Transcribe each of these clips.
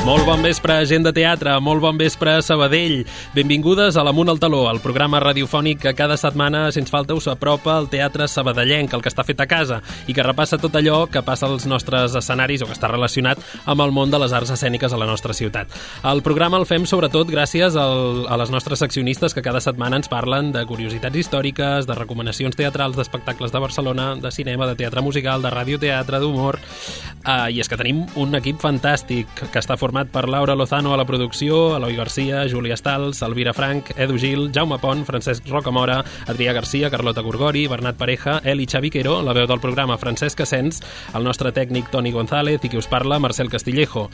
Molt bon vespre, gent de teatre, molt bon vespre, Sabadell. Benvingudes a l'Amunt al Taló, el programa radiofònic que cada setmana, sense falta, us apropa al teatre sabadellenc, el que està fet a casa, i que repassa tot allò que passa als nostres escenaris o que està relacionat amb el món de les arts escèniques a la nostra ciutat. El programa el fem sobretot gràcies a les nostres seccionistes que cada setmana ens parlen de curiositats històriques, de recomanacions teatrals, d'espectacles de Barcelona, de cinema, de teatre musical, de radioteatre, d'humor. I és que tenim un equip fantàstic que està format per Laura Lozano a la producció, Eloi Garcia, Júlia Stals, Elvira Frank, Edu Gil, Jaume Pont, Francesc Rocamora, Adrià Garcia, Carlota Gorgori, Bernat Pareja, Eli Xaviquero, la veu del programa Francesc Asens, el nostre tècnic Toni González i qui us parla, Marcel Castillejo.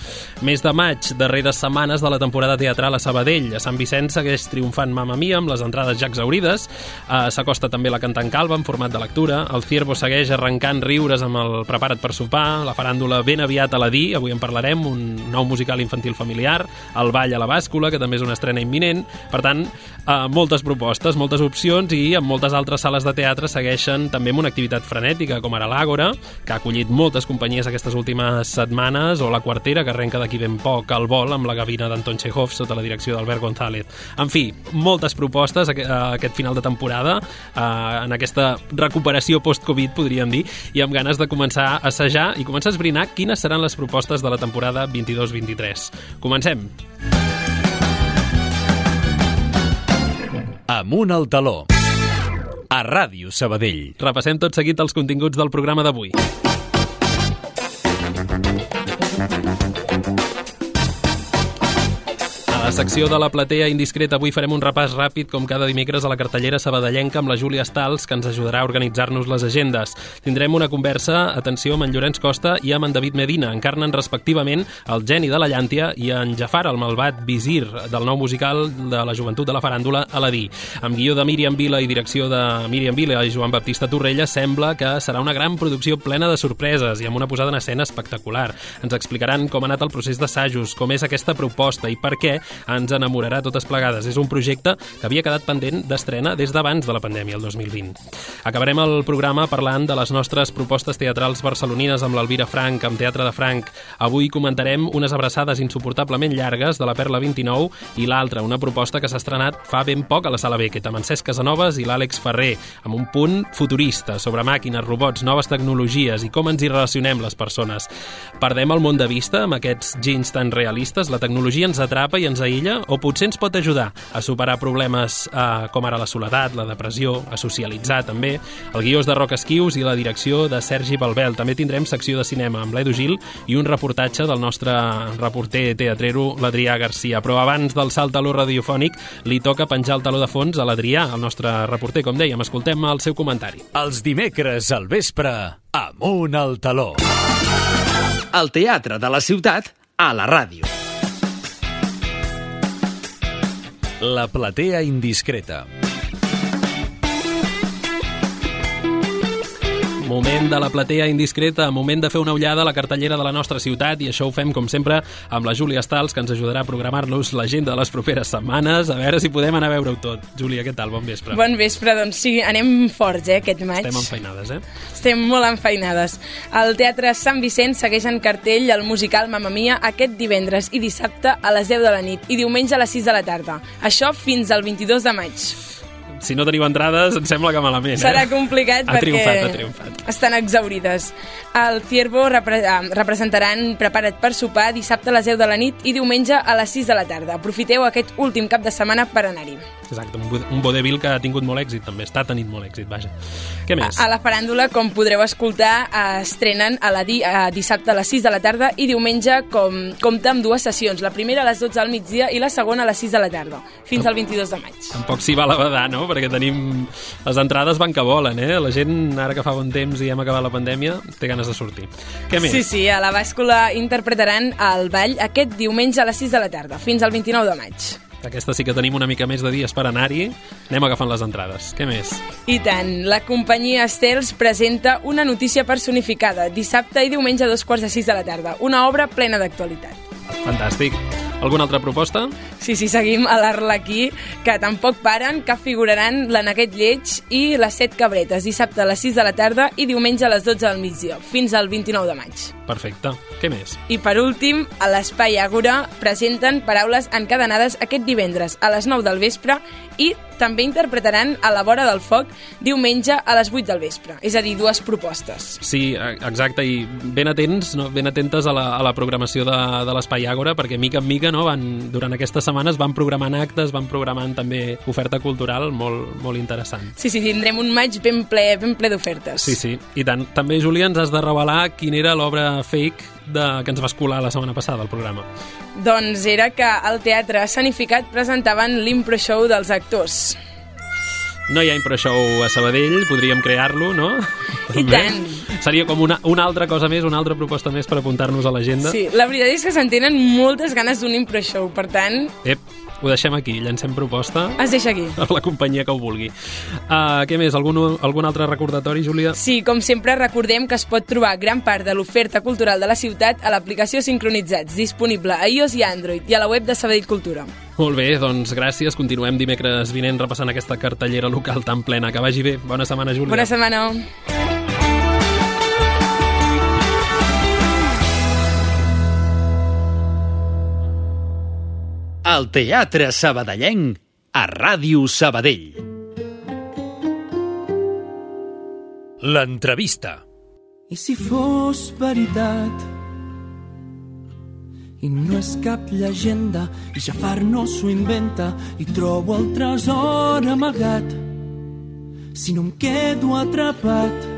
Mes de maig, darreres setmanes de la temporada teatral a Sabadell. A Sant Vicenç segueix triomfant Mamma Mia amb les entrades ja exaurides. S'acosta també la Cantant Calba en format de lectura. El Ciervo segueix arrencant riures amb el Prepara't per sopar. La faràndula ben aviat a la Di, avui en parlarem, un nou musical infantil familiar, el Ball a la Bàscula, que també és una estrena imminent. Per tant, moltes propostes, moltes opcions, i en moltes altres sales de teatre segueixen també amb una activitat frenètica, com ara l'Àgora, que ha acollit moltes companyies aquestes últimes setmanes, o la Quartera, que arrenca d'aquí ben poc al Vol, amb la gavina d'Anton Chekhov, sota la direcció d'Albert González. En fi, moltes propostes aquest final de temporada, en aquesta recuperació post-Covid, podríem dir, i amb ganes de començar a assajar i començar a esbrinar quines seran les propostes de la temporada 22-23. Comencem! Amunt al Taló, a Ràdio Sabadell. Repassem tot seguit els continguts del programa d'avui. A la secció de la platea indiscreta avui farem un repàs ràpid, com cada dimecres, a la cartellera sabadellenca amb la Júlia Stals, que ens ajudarà a organitzar-nos les agendes. Tindrem una conversa, atenció, amb en Llorenç Costa i amb en David Medina. Encarnen respectivament el geni de la llàntia i en Jafar, el malvat visir del nou musical de la joventut de la faràndula Aladí. Amb guió de Míriam Vila i direcció de Míriam Vila i Joan Baptista Torrella, sembla que serà una gran producció plena de sorpreses i amb una posada en escena espectacular. Ens explicaran com ha anat el procés d'assajos, com és aquesta proposta i per què ens enamorarà totes plegades. És un projecte que havia quedat pendent d'estrena des d'abans de la pandèmia, el 2020. Acabarem el programa parlant de les nostres propostes teatrals barcelonines amb l'Elvira Frank, amb Teatre de Frank. Avui comentarem unes abraçades insuportablement llargues de la Perla 29 i l'altra, una proposta que s'ha estrenat fa ben poc a la Sala Beckett, amb en Cesc Casanovas i l'Àlex Ferrer, amb un punt futurista sobre màquines, robots, noves tecnologies i com ens hi relacionem les persones. Perdem el món de vista amb aquests ginys tan realistes? La tecnologia ens atrapa i ens aïlla, o potser ens pot ajudar a superar problemes com ara la soledat, la depressió, a socialitzar també. El guió és de Roc Esquius i la direcció de Sergi Balbel. També tindrem secció de cinema amb l'Edu Gil i un reportatge del nostre reporter teatrero, l'Adrià Garcia. Però abans del salt taló radiofònic li toca penjar el taló de fons a l'Adrià, el nostre reporter, com dèiem. Escoltem el seu comentari. Els dimecres al vespre, Amunt al Taló. El teatre de la ciutat a la ràdio. La platea indiscreta. Moment de la platea indiscreta, moment de fer una ullada a la cartellera de la nostra ciutat, i això ho fem, com sempre, amb la Júlia Stals, que ens ajudarà a programar-nos l'agenda de les properes setmanes, a veure si podem anar a veure-ho tot. Júlia, què tal? Bon vespre. Bon vespre, doncs sí, anem forts, aquest maig. Estem enfeinades, Estem molt enfeinades. El Teatre Sant Vicenç segueix en cartell el musical Mamma Mia aquest divendres i dissabte a les 10 de la nit i diumenge a les 6 de la tarda. Això fins al 22 de maig. Si no teniu entrades, em sembla que malament. Serà complicat perquè ha triomfat. Estan exaurides. El Ciervo representaran Prepara't per sopar dissabte a les 10 de la nit i diumenge a les 6 de la tarda. Aprofiteu aquest últim cap de setmana per anar-hi. Exacte, un vodevil que ha tingut molt èxit, també. Està tenint molt èxit, vaja. Què més? A la faràndula, com podreu escoltar, estrenen dissabte a les 6 de la tarda i diumenge compta amb dues sessions. La primera a les 12 al migdia i la segona a les 6 de la tarda, fins al 22 de maig. Tampoc s'hi val a badar, no? Perquè tenim... Les entrades van que volen, La gent, ara que fa bon temps i hem acabat la pandèmia, té ganes de sortir. Què més? Sí, a la Bàscula interpretaran el ball aquest diumenge a les 6 de la tarda, fins al 29 de maig. Aquesta sí que tenim una mica més de dies per anar-hi. Anem agafant les entrades. Què més? I tant. La companyia Estels presenta Una notícia personificada, dissabte i diumenge a 2:45 de la tarda. Una obra plena d'actualitat. Fantàstic. Alguna altra proposta? Sí, seguim a l'Arlequí, que tampoc paren, que figuraran la Neguet Lleig i les 7 cabretes, dissabte a les 6 de la tarda i diumenge a les 12 del migdia, fins al 29 de maig. Perfecte. Què més? I per últim, a l'Espai Àgora presenten Paraules encadenades aquest divendres a les 9 del vespre i també interpretaran A la vora del foc diumenge a les 8 del vespre. És a dir, 2 propostes. Sí, exacte, i ben atents, no? Ben atentes a la programació de l'Espai Àgora, perquè mica en mica, no? Durant aquestes setmanes van programant actes, van programant també oferta cultural molt, molt interessant. Sí, tindrem un maig ben ple d'ofertes. Sí, i tant. També, Júlia, ens has de revelar quina era l'obra fake que ens vas colar la setmana passada al programa. Doncs era que al Teatre Sanificat presentaven l'impro show dels actors. No hi ha impro show a Sabadell, podríem crear-lo, no? I tant! Seria com una altra cosa més, una altra proposta més per apuntar-nos a l'agenda. Sí, la veritat és que se'n tenen moltes ganes d'un impro show, per tant... Ho deixem aquí, llancem proposta. Es deixa aquí. A la companyia que ho vulgui. Què més? Algun altre recordatori, Júlia? Sí, com sempre, recordem que es pot trobar gran part de l'oferta cultural de la ciutat a l'aplicació Sincronitzats, disponible a iOS i Android, i a la web de Sabadell Cultura. Molt bé, doncs gràcies. Continuem dimecres vinent repassant aquesta cartellera local tan plena. Que vagi bé. Bona setmana, Júlia. Bona setmana. El Teatre Sabadellenc a Ràdio Sabadell. L'entrevista. I si fos veritat i no és cap llegenda i Jafar s'ho inventa i trobo el tresor amagat, si no em quedo atrapat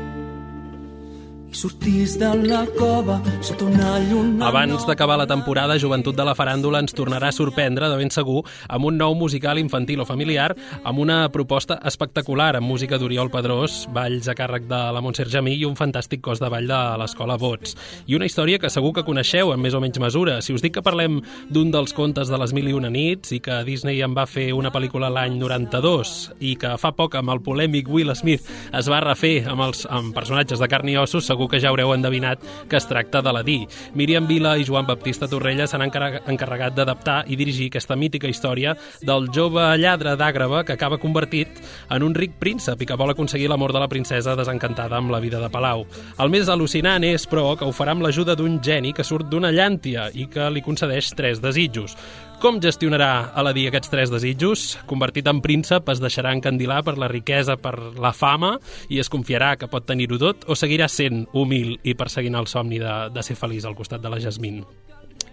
i sortís de la cova sota una lluna... Abans d'acabar la temporada, Joventut de la Faràndula ens tornarà a sorprendre, de ben segur, amb un nou musical infantil o familiar, amb una proposta espectacular, amb música d'Oriol Pedrós, balls a càrrec de la Montserrat Jamí i un fantàstic cos de ball de l'Escola Bots. I una història que segur que coneixeu, en més o menys mesura. Si us dic que parlem d'un dels contes de les Mil i una nits i que Disney en va fer una pel·lícula l'any 92 i que fa poc amb el polèmic Will Smith es va refer amb personatges de carn i ossos, segur que ja haureu endevinat que es tracta d'Aladí. Míriam Vila i Joan Baptista Torrella s'han encarregat d'adaptar i dirigir aquesta mítica història del jove lladre d'Àgrava que acaba convertit en un ric príncep i que vol aconseguir l'amor de la princesa desencantada amb la vida de palau. El més al·lucinant és, però, que ho farà amb l'ajuda d'un geni que surt d'una llàntia i que li concedeix 3 desitjos. Com gestionarà Aladí aquests 3 desitjos? Convertit en príncep, es deixarà encandilar per la riquesa, per la fama, i es confiarà que pot tenir-ho tot, o seguirà sent humil i perseguint el somni de ser feliç al costat de la Jasmine?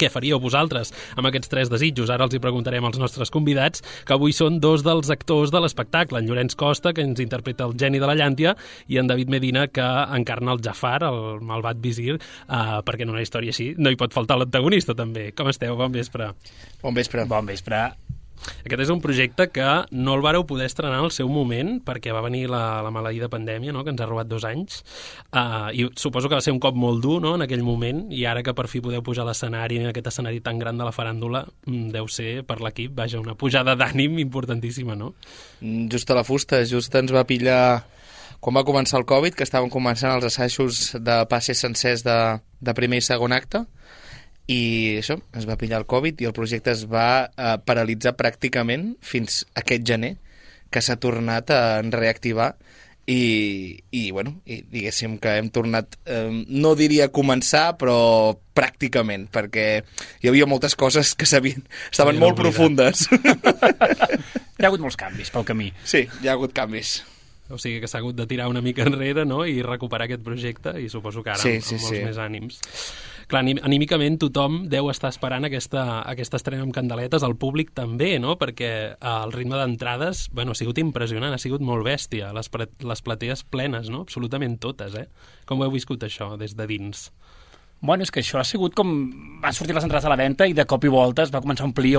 Què faríeu vosaltres amb aquests 3 desitjos? Ara els hi preguntarem als nostres convidats, que avui són 2 dels actors de l'espectacle, en Llorenç Costa, que ens interpreta el geni de la llàntia, i en David Medina, que encarna el Jafar, el malvat visir, perquè en una història així no hi pot faltar l'antagonista, també. Com esteu? Bon vespre. Bon vespre. Bon vespre. Aquest és un projecte que no el vareu poder estrenar al seu moment perquè va venir la maleïda pandèmia, no?, que ens ha robat 2 anys, i suposo que va ser un cop molt dur, no?, en aquell moment, i ara que per fi podeu pujar a l'escenari, en aquest escenari tan gran de la faràndula, deu ser per l'equip, vaja, una pujada d'ànim importantíssima, no? Just a la fusta, just ens va pillar quan va començar el Covid, que estàvem començant els assajos de passes sencers de primer i segon acte, i això, es va pillar el Covid i el projecte es va paralitzar pràcticament fins aquest gener, que s'ha tornat a reactivar i diguéssim que hem tornat, no diria a començar, però pràcticament, perquè hi havia moltes coses que estaven molt profundes. Hi ha hagut molts canvis pel camí. Sí, hi ha hagut canvis. O sigui que s'ha hagut de tirar una mica enrere, no?, i recuperar aquest projecte, i suposo que ara amb molts més ànims. Clar, anímicament tothom deu estar esperant aquesta estrena amb candeletes, el públic també, no?, perquè el ritme d'entrades, bueno, ha sigut impressionant, ha sigut molt bèstia, les platees plenes, no?, absolutament totes, Com ho heu viscut això des de dins? Bueno, és que això ha sigut com... Van sortir les entrades a la venda i de cop i volta es va començar a omplir,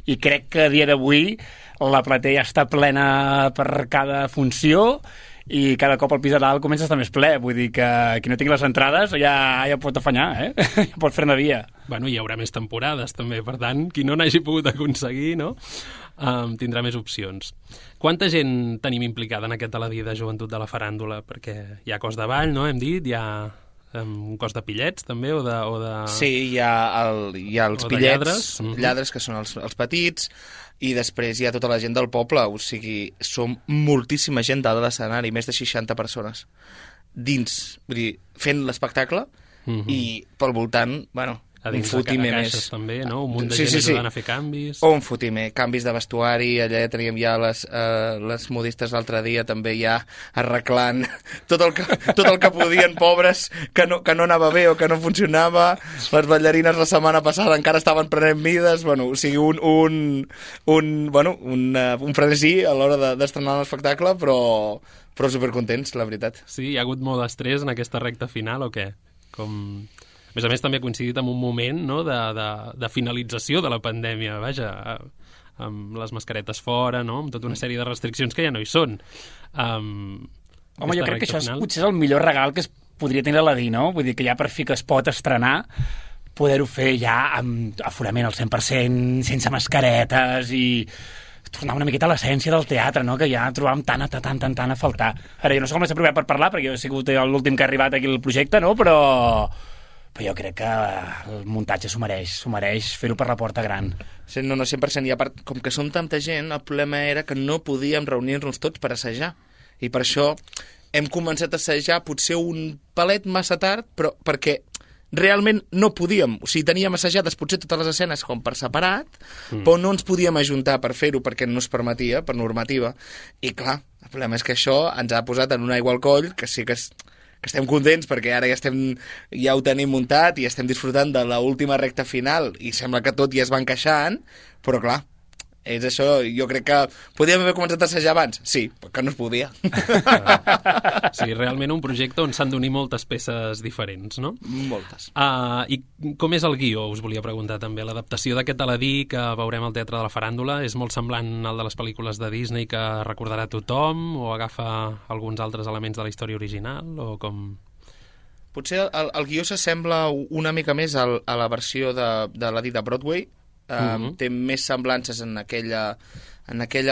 i crec que a dia d'avui la platea està plena per cada funció i cada cop el pis de dalt comença a estar més ple. Vull dir que qui no tingui les entrades ja pot afanyar, ja pot fer-ne via. Bueno, hi haurà més temporades també, per tant, qui no n'hagi pogut aconseguir, no?, tindrà més opcions. Quanta gent tenim implicada en aquest Aladí de Joventut de la Faràndula? Perquè hi ha cos de ball, no?, hem dit, hi ha un cos de pillets també, o de... Sí, hi ha els pillets, lladres, que són els petits, i després hi ha tota la gent del poble, o sigui, som moltíssima gent dalt de l'escenari, més de 60 persones dins, vull dir, fent l'espectacle, i pel voltant, bueno, A un dins fotimer de més. caixes també, no? Un munt de gent ajudant a fer canvis. O un fotimer, canvis de vestuari, allà ja teníem ja les modistes l'altre dia també ja arreglant tot el que podien, pobres, que no anava bé o que no funcionava. Les ballarines la setmana passada encara estaven prenent mides, bueno, o sigui, un frenesí a l'hora d'estrenar l'espectacle, però supercontents, la veritat. Sí, hi ha hagut molt d'estrès en aquesta recta final o què? A més a més, també ha coincidit amb un moment, no?, de finalització de la pandèmia, vaja, amb les mascaretes fora, no?, amb tota una sèrie de restriccions que ja no hi són. Home, jo crec que això potser és el millor regal que es podria tenir a la DI, no? Vull dir que ja per fi que es pot estrenar, poder-ho fer ja amb aforament al 100%, sense mascaretes i tornar una miqueta a l'essència del teatre, no?, que ja trobàvem tant a faltar. Ara, jo no sé com m'he apropiat per parlar, perquè jo he sigut l'últim que ha arribat aquí al projecte, no?, però jo crec que el muntatge s'ho mereix fer-ho per la porta gran. Sí, no, 100%. I a part, com que som tanta gent, el problema era que no podíem reunir-nos tots per assajar. I per això hem començat a assajar potser un palet massa tard, però perquè realment no podíem. O sigui, teníem assajades potser totes les escenes com per separat, però no ens podíem ajuntar per fer-ho perquè no es permetia, per normativa. I clar, el problema és que això ens ha posat en una aigua al coll, que sí que estem contents perquè ara ja ho tenim muntat i estem disfrutant de l'última recta final i sembla que tot ja es va encaixant, però clar, és això, jo crec que podíem haver començat a assajar abans, sí, que no es podia. Sí, realment un projecte on s'han d'unir moltes peces diferents, no? Moltes. I com és el guió, us volia preguntar també. L'adaptació d'aquest Aladí que veurem al Teatre de la Faràndula és molt semblant al de les pel·lícules de Disney que recordarà tothom o agafa alguns altres elements de la història original o com... Potser el guió s'assembla una mica més a la versió de l'Aladí de Broadway. Té més semblances en aquella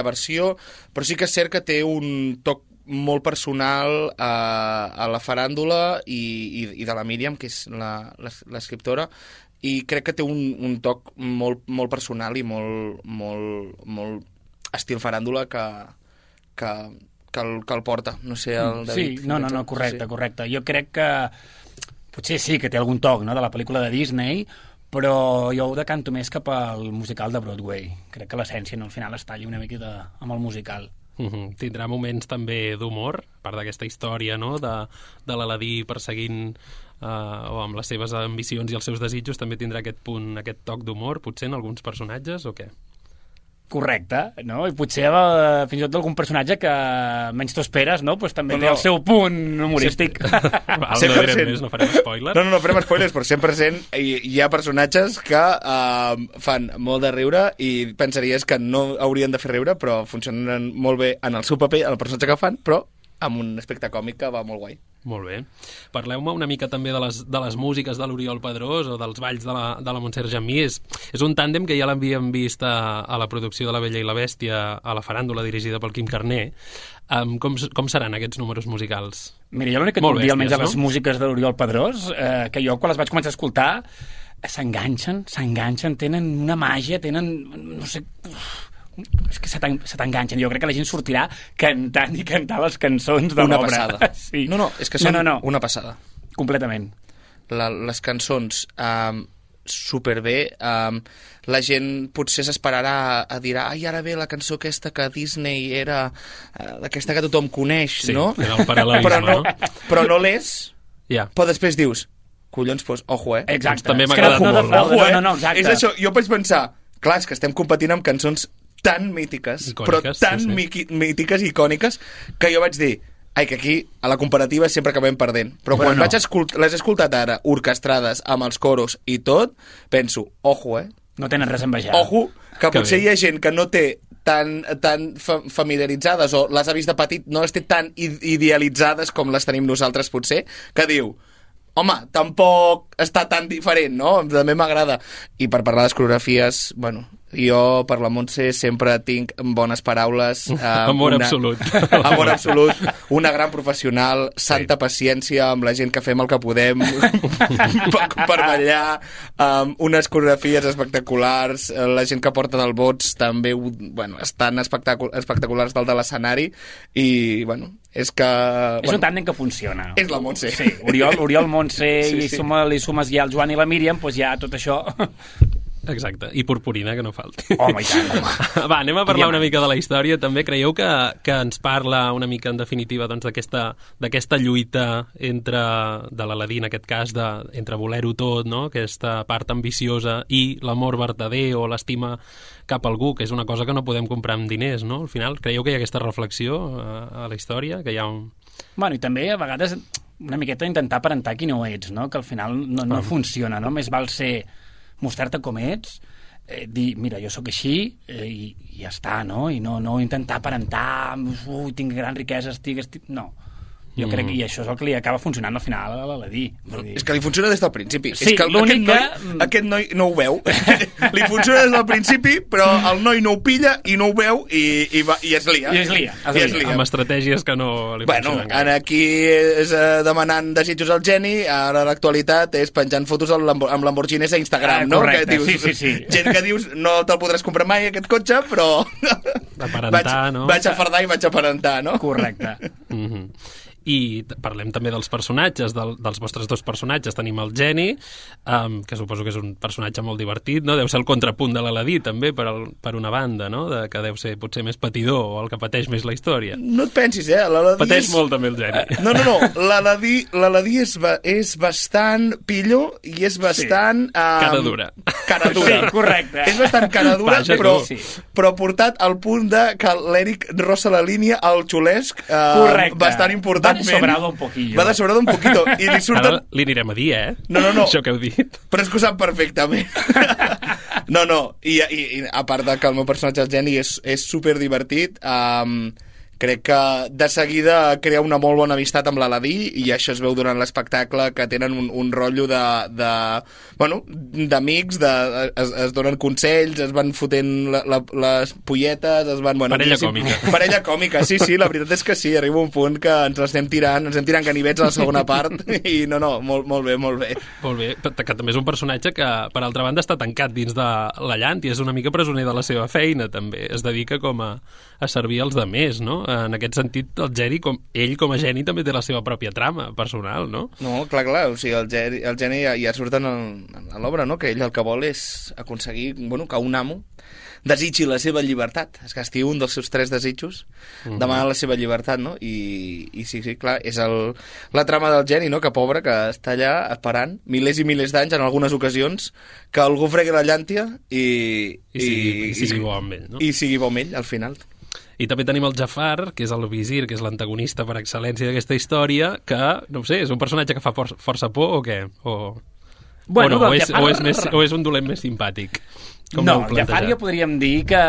versió, però sí que és cert que té un toc molt personal a la faràndula i de la Míriam, que és l'escriptora, i crec que té un toc molt personal i molt estil faràndula que el porta. No sé, el David... Sí, no, correcte. Jo crec que potser sí que té algun toc, no?, de la pel·lícula de Disney, però jo ho decanto més cap al musical de Broadway. Crec que l'essència al final es talla una miqueta amb el musical. Tindrà moments també d'humor, a part d'aquesta història, no?, de l'Aladí perseguint o amb les seves ambicions i els seus desitjos, també tindrà aquest toc d'humor, potser en alguns personatges o què? Correcte, no? I potser fins i tot algun personatge que menys t'ho esperes, no? Pues també té el seu punt humorístic. No direm més, no farem spoilers. No farem spoilers, però 100% hi ha personatges que fan molt de riure i pensaries que no haurien de fer riure, però funcionen molt bé en el seu paper, en el personatge que fan, però amb un aspecte còmic que va molt guai. Molt bé. Parleu-me una mica també de les músiques de l'Oriol Pedrós o dels balls de la Montserrat Jamí. És un tàndem que ja l'havíem vist a la producció de La Bella i la Bèstia a la Faràndula, dirigida pel Quim Carner. Com seran aquests números musicals? Mira, jo l'únic que et puc dir, almenys de les músiques de l'Oriol Pedrós, que jo quan les vaig començar a escoltar s'enganxen, tenen una màgia, no sé... És que se t'enganxen. Jo crec que la gent sortirà cantant i cantar les cançons de l'obra. Una passada. Sí. No, és que són una passada. Completament. Les cançons superbé. La gent potser s'esperarà a dir ara ve la cançó aquesta que Disney era aquesta que tothom coneix, sí, no? Era el paral·lelisme, no? Però no l'és, però després dius collons, ojo, Exacte. També m'ha agradat molt. Ojo, no, exacte. És això, jo vaig pensar, clar, és que estem competint amb cançons tan mítiques, icòniques, però tan mítiques i icòniques, que jo vaig dir, que aquí a la comparativa sempre acabem perdent. Però quan les he escoltat ara, orquestrades, amb els coros i tot, penso, ojo, no tenen res a envejar. Ojo, que potser hi ha gent que no té tan familiaritzades o les ha vist de petit, no les té tan idealitzades com les tenim nosaltres potser, que diu, home, tampoc està tan diferent, no? També m'agrada. I per parlar de coreografies, bueno, Jo, per la Montse, sempre tinc bones paraules. Amor absolut. Amor absolut. Una gran professional, santa paciència amb la gent que fem el que podem per ballar, unes coreografies espectaculars, la gent que porta del bots també estan espectaculars dalt de l'escenari i, és que... És un tàndem que funciona. És la Montse. Sí, Oriol Montse i li sumes ja el Joan i la Míriam, doncs ja tot això... Exacte, i purpurina, que no falti. Home, i tant, home. Va, anem a parlar una mica de la història. També creieu que ens parla una mica, en definitiva, doncs, d'aquesta lluita de l'Aladí, en aquest cas, entre voler-ho tot, no? Aquesta part ambiciosa, i l'amor verdader o l'estima cap a algú, que és una cosa que no podem comprar amb diners, no? Al final, creieu que hi ha aquesta reflexió a la història? Que hi ha un... Bueno, i també, a vegades, una miqueta intentar aparentar qui no ets, no? Que al final no funciona, no? Més val ser... mostrar-te com ets, dir, mira, jo sóc així i ja està, no? I no intentar aparentar, tinc gran riquesa, no. Jo crec que això és el que li acaba funcionant al final a l'Aladí. És que li funciona des del principi. Sí, és que aquest noi no ho veu. Li funciona des del principi, però el noi no ho pilla i no ho veu i es lia. I es lia. Amb estratègies que no li funcionen. Bueno, aquí és demanant desitjos al geni, ara l'actualitat és penjant fotos amb Lamborghinis a Instagram, no? Correcte, que dius, sí. Gent que dius, no te'l podràs comprar mai, aquest cotxe, però... Aparentar, no? Vaig a fardar i vaig a aparentar, no? Correcte. I parlem també dels personatges, dels vostres dos personatges. Tenim el Geni, que suposo que és un personatge molt divertit, no? Deu ser el contrapunt de l'Aladí, també, per una banda, no? Que deu ser potser més patidor o el que pateix més la història. No et pensis, Pateix molt també el Geni. No. L'Aladí és bastant pillo i és bastant... Cara dura. Sí, correcte. És bastant cara dura, Vaja, però portat al punt que l'Eric rossa la línia al xulesc bastant important. Va de sobrado un poquillo. Va de sobrado un poquito. I li surten... Ara li anirem a dir, No. Això que heu dit. Però és que ho sap perfectament. No. I a part que el meu personatge, el Geni, és superdivertit, crec que de seguida crea una molt bona amistat amb l'Aladí i això es veu durant l'espectacle, que tenen un rotllo d'amics, es donen consells, es van fotent les polletes, es van... Parella còmica, sí, la veritat és que sí, arriba un punt que ens estem tirant ganivets a la segona part i molt bé. Molt bé, que també és un personatge que, per altra banda, està tancat dins de la llant i és una mica presoner de la seva feina, també. Es dedica com a servir als demés, no? En aquest sentit, el Geni, ell com a geni, també té la seva pròpia trama personal, no? No, clar, o sigui, el geni ja surt a l'obra, no? Que ell el que vol és aconseguir, que un amo desitgi la seva llibertat. És que estiu un dels seus 3 desitjos, demanar la seva llibertat, no? I sí, clar, és la trama del Geni, no? Que pobre, que està allà esperant milers i milers d'anys, en algunes ocasions, que algú fregui la llàntia i sigui bo amb ell, no? I sigui bo amb ell, al final. I també tenim el Jafar, que és el visir, que és l'antagonista per excel·lència d'aquesta història, que, no ho sé, és un personatge que fa força por o què? O és un dolent més simpàtic? No, el Jafar jo podríem dir que,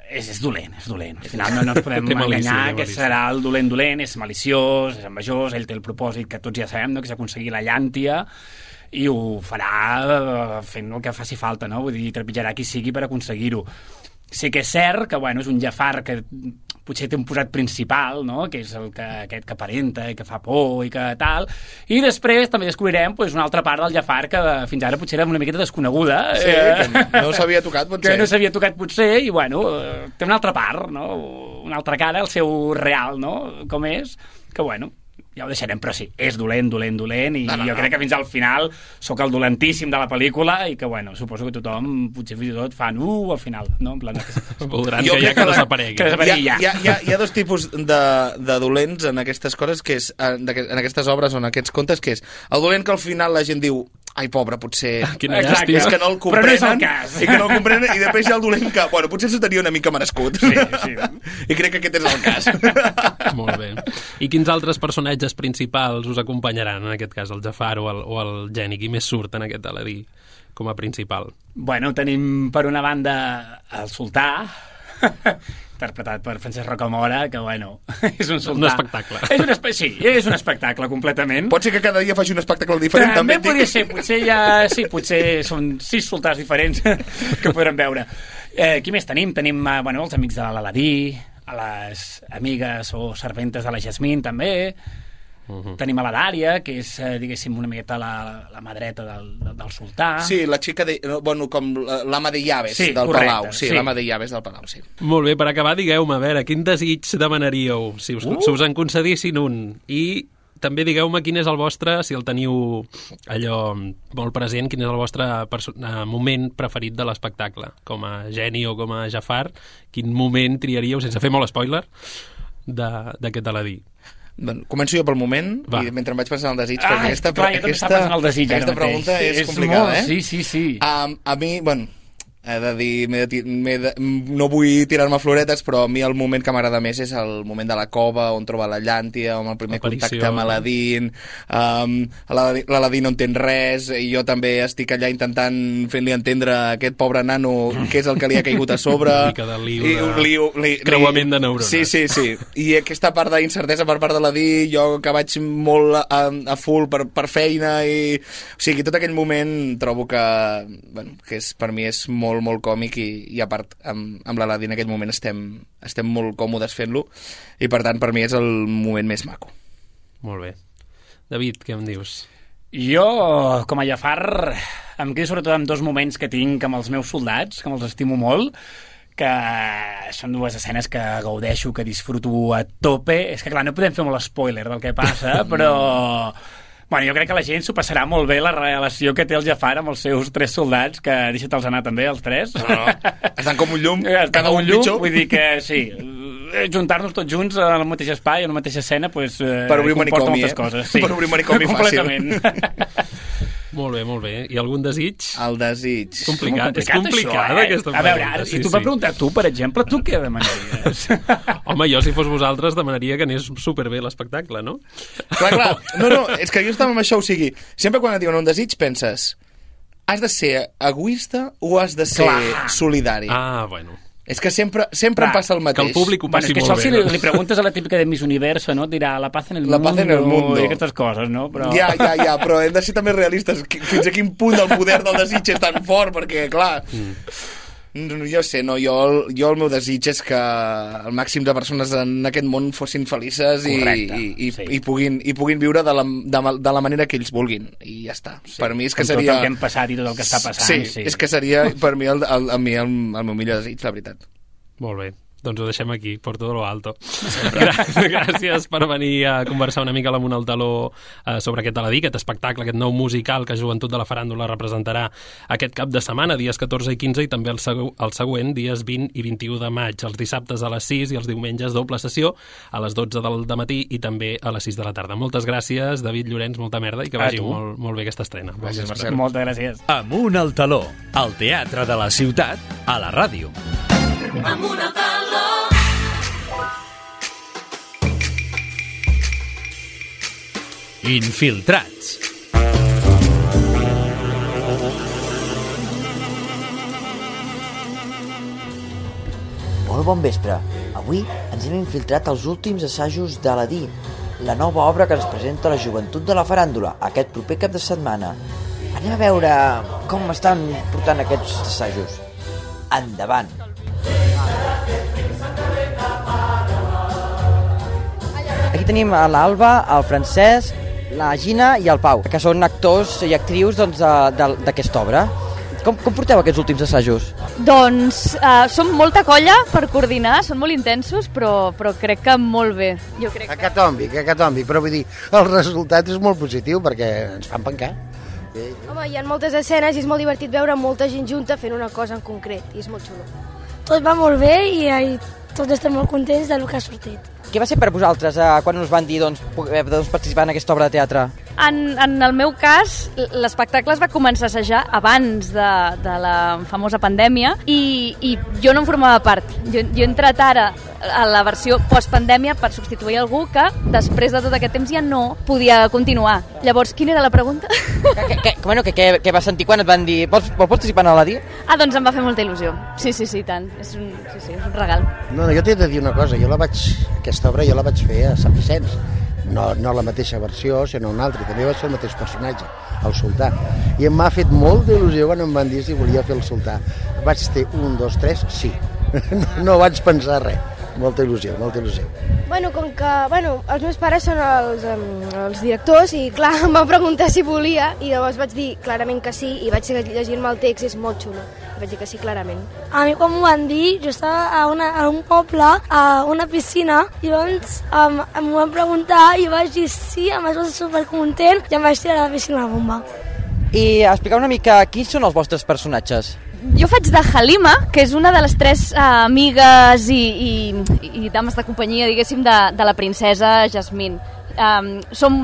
és dolent. Al final no ens podem enganyar que serà el dolent, és maliciós, és envejós, ell té el propòsit que tots ja sabem, no? Que és aconseguir la llàntia, i ho farà fent el que faci falta, no? Vull dir, trepitjarà qui sigui per aconseguir-ho. Sí que és cert que, és un Jafar que potser té un posat principal, no? Que és aquest que aparenta i que fa por i que tal, i després també descobrirem una altra part del Jafar que fins ara potser era una miqueta desconeguda. Sí, que no s'havia tocat, potser. Que no s'havia tocat, potser, i té una altra part, no? Una altra cara, el seu real, no? Com és, que ja ho deixarem, però sí, és dolent, i jo crec que fins al final sóc el dolentíssim de la pel·lícula i que, suposo que tothom, potser fins i tot fan al final, no? En plan voldran que desaparegui. Hi ha dos tipus de dolents en aquestes coses, que és en aquestes obres o en aquests contes, que és el dolent que al final la gent diu ai, pobre, potser és que no el comprenen, però no és el cas. I que no el comprenen, i després hi ha el dolent que, potser s'ho tenia una mica merescut. Sí. I crec que aquest és el cas. Molt bé. I quins altres personatges principals us acompanyaran, en aquest cas, el Jafar o el Geni? Qui més surt en aquest Aladí com a principal? Tenim per una banda el sultà, interpretat per Francesc Rocamora, que, bueno, és un sultà. Un espectacle. Sí, és un espectacle, completament. Pot ser que cada dia faci un espectacle diferent, també. També podria ser, potser són 6 sultans diferents que podrem veure. Qui més tenim? Tenim, els amics de l'Aladí, a les amigues o serventes de la Jasmine, també. Tenim a la Dària, que és, diguéssim, una miqueta la mà dreta del sultà. Sí, la xica com l'ama de llaves del Palau. Sí, l'ama de llaves del Palau, sí. Molt bé, per acabar, digueu-me, a veure, quin desig demanaríeu si us en concedissin un? I també digueu-me quin és el vostre, si el teniu allò molt present, quin és el vostre moment preferit de l'espectacle. Com a Geni o com a Jafar, quin moment triaríeu, sense fer molt spoiler, d'aquest Aladí? Començo jo pel moment i mentre em vaig passant el desig, perquè aquesta pregunta és complicada, Sí. A mi, he de dir, no vull tirar-me floretes, però a mi el moment que m'agrada més és el moment de la cova, on troba la llàntia, amb el primer contacte amb Aladín. L'Aladín no entén res, i jo també estic allà intentant fer-li entendre a aquest pobre nano què és el que li ha caigut a sobre. Una mica de liu, creuament de neurones. Sí. I aquesta part d'incertesa per part de l'Aladí, jo que vaig molt a full per feina, o sigui, tot aquell moment trobo que per mi és molt còmic, i a part amb l'Aladí en aquell moment estem molt còmodes fent-lo, i per tant per mi és el moment més maco. Molt bé. David, què em dius? Jo, com a Jafar, em quedo sobretot amb 2 moments que tinc amb els meus soldats, que me'ls estimo molt, que són 2 escenes que gaudeixo, que disfruto a tope. És que, clar, no podem fer molt spoiler del que passa, però... jo crec que la gent s'ho passarà molt bé, la relació que té el Jafar amb els seus 3 soldats, que deixa-te'ls anar també, els 3. No. Estan com un llum, cada un pitjor. Vull dir que sí, juntar-nos tots junts al mateix espai, a la mateixa escena, pues, per obrir un comporta manicomi, moltes coses. Sí. Per obrir un manicomi fàcil. Molt bé. I algun desig? El desig. És complicada aquesta pregunta. A veure, si tu m'has preguntat tu, per exemple, tu què demanaries? Home, jo si fos vosaltres demanaria que anés superbé l'espectacle, no? Clar. No, és que jo estava amb això, o sigui, sempre quan et diuen un desig penses, has de ser egoista o has de ser solidari? Bueno. És que sempre em passa el mateix. Que el públic ho passi molt bé. És que això si li preguntes a la típica de Miss Universo, no? Et dirà la paz en el mundo i aquestes coses, no? Però... Ja, però hem de ser també realistes. Fins a quin punt el poder del desig és tan fort, perquè, clar... Jo sé, jo el meu desig és que el màxim de persones en aquest món fossin felices i puguin viure de la manera que ells vulguin, i ja està. Per mi és que seria... Tot el que hem passat i tot el que està passant. Sí, és que seria per mi el meu millor desig, la veritat. Molt bé. Doncs ho deixem aquí, por todo lo alto. Gràcies per venir a conversar una mica amb el taló sobre aquest Aladí, aquest espectacle, aquest nou musical que Joventut de la Faràndula representarà aquest cap de setmana, dies 14 i 15, i també el següent, dies 20 i 21 de maig, els dissabtes a les 6 i els diumenges doble sessió, a les 12 del matí i també a les 6 de la tarda. Moltes gràcies, David Llorenç, molta merda, i que vagi molt bé aquesta estrena. Gràcies, Marcel. Moltes gràcies. Amunt al taló, al teatre de la ciutat, a la ràdio. Amunt al taló. Infiltrats. Molt bon vespre. Avui ens hem infiltrat als últims assajos d'Aladí, la nova obra que ens presenta la Joventut de la Faràndula aquest proper cap de setmana. Anem a veure com estan portant aquests assajos. Endavant. Aquí tenim l'Alba, el Francesc, la Gina i el Pau, que són actors i actrius d'aquesta obra. Com porteu aquests últims assajos? Doncs som molta colla per coordinar, són molt intensos, però crec que molt bé. Jo crec Acatòmbic, però vull dir, el resultat és molt positiu perquè ens fan pencar. Home, hi ha moltes escenes i és molt divertit veure molta gent junta fent una cosa en concret, i és molt xulo. Tot va molt bé i tots estem molt contents del que ha sortit. Què va ser per vosaltres quan us van dir poder participar en aquesta obra de teatre? En el meu cas, l'espectacle es va començar a assajar abans de la famosa pandèmia i jo no en formava part. Jo he entrat ara a la versió postpandèmia per substituir algú que després de tot aquest temps ja no podia continuar. Llavors, quina era la pregunta? Què vas sentir quan et van dir vols participar a l'Adi? Doncs em va fer molta il·lusió. Sí, tant. És un regal. No, jo t'he de dir una cosa. Aquesta obra jo la vaig fer a Sant Vicenç. No la mateixa versió, sinó una altra. També vaig fer el mateix personatge, el sultà. I em m'ha fet molta il·lusió quan em van dir si volia fer el sultà. Vaig dir 1, 2, 3, sí. No vaig pensar res. Molta il·lusió. Com que els meus pares són els directors i clar, em van preguntar si volia i llavors vaig dir clarament que sí i vaig llegir-me el text i és molt xulo. Vaig dir que sí clarament. A mi quan m'ho van dir, jo estava a un poble, a una piscina, i llavors m'ho van preguntar i vaig dir sí, em vaig estar supercontent i em vaig tirar a la piscina a la bomba. I explicar una mica quins són els vostres personatges. Jo faig de Halima, que és una de les 3 amigues i dames de companyia, diguéssim, de la princesa Jasmine. Som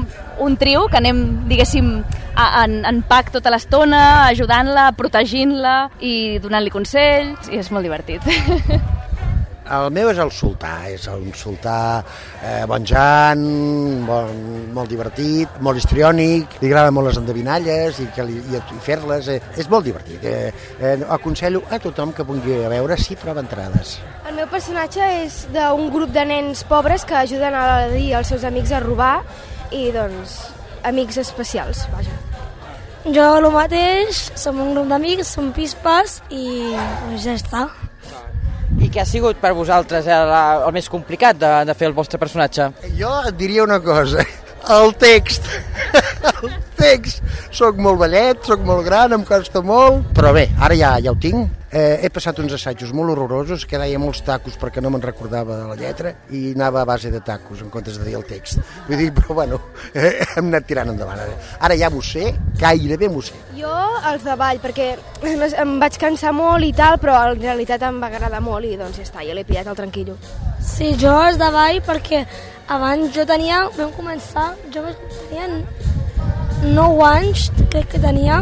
un trio que anem, diguéssim, en pack tota l'estona, ajudant-la, protegint-la i donant-li consells, i és molt divertit. El meu és el sultà, és un sultà bonjant, molt divertit, molt histriònic, li agrada molt les endevinalles i fer-les, és molt divertit. Aconsello a tothom que vulgui a veure si troba entrades. El meu personatge és d'un grup de nens pobres que ajuden a l'Aladí i els seus amics a robar i, doncs, amics especials, vaja. Jo el mateix, som un grup d'amics, som pispes i ja està. I què ha sigut per vosaltres el més complicat de fer el vostre personatge? Jo et diria una cosa, el text. Soc molt vellet, soc molt gran, em costa molt, però bé, ara ja ho tinc. He passat uns assajos molt horrorosos, que deia molts tacos perquè no me'n recordava de la lletra i anava a base de tacos en comptes de dir el text. Vull dir, però bueno, hem anat tirant endavant. Ara ja m'ho sé, gairebé m'ho sé. Jo els de ball, perquè em vaig cansar molt i tal, però en realitat em va agradar molt i doncs ja està, ja l'he pillat al tranquillo. Sí, jo els de ball perquè abans vam començar, jo tenia 9 anys, crec que tenia,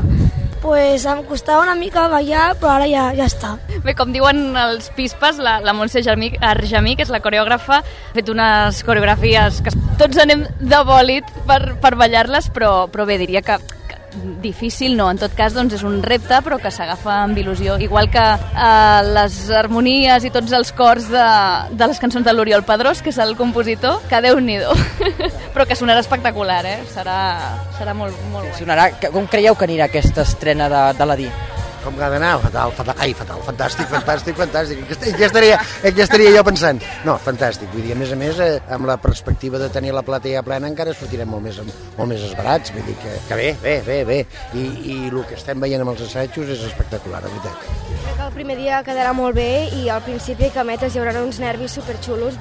pues em costava una mica ballar, però ara ja està. Bé, com diuen els pispes, la Montse Argemí, que és la coreògrafa, ha fet unes coreografies que tots anem de bòlit per ballar-les, però bé, diria que difícil no, en tot cas doncs és un repte però que s'agafa amb il·lusió, igual que les harmonies i tots els cors de les cançons de l'Oriol Pedrós, que és el compositor, que Déu-n'hi-do però que sonarà espectacular, serà molt guai. Sonarà, com creieu que anirà aquesta estrena de l'Adi? Com que ha d'anar? Fatal, fantàstic. Ja estaria jo pensant. No, fantàstic, vull dir, a més, amb la perspectiva de tenir la platea plena encara sortirem molt més esbarats, vull dir que bé. I el que estem veient amb els assajos és espectacular, la veritat. Crec que el primer dia quedarà molt bé i al principi que metes hi haurà uns nervis superxulos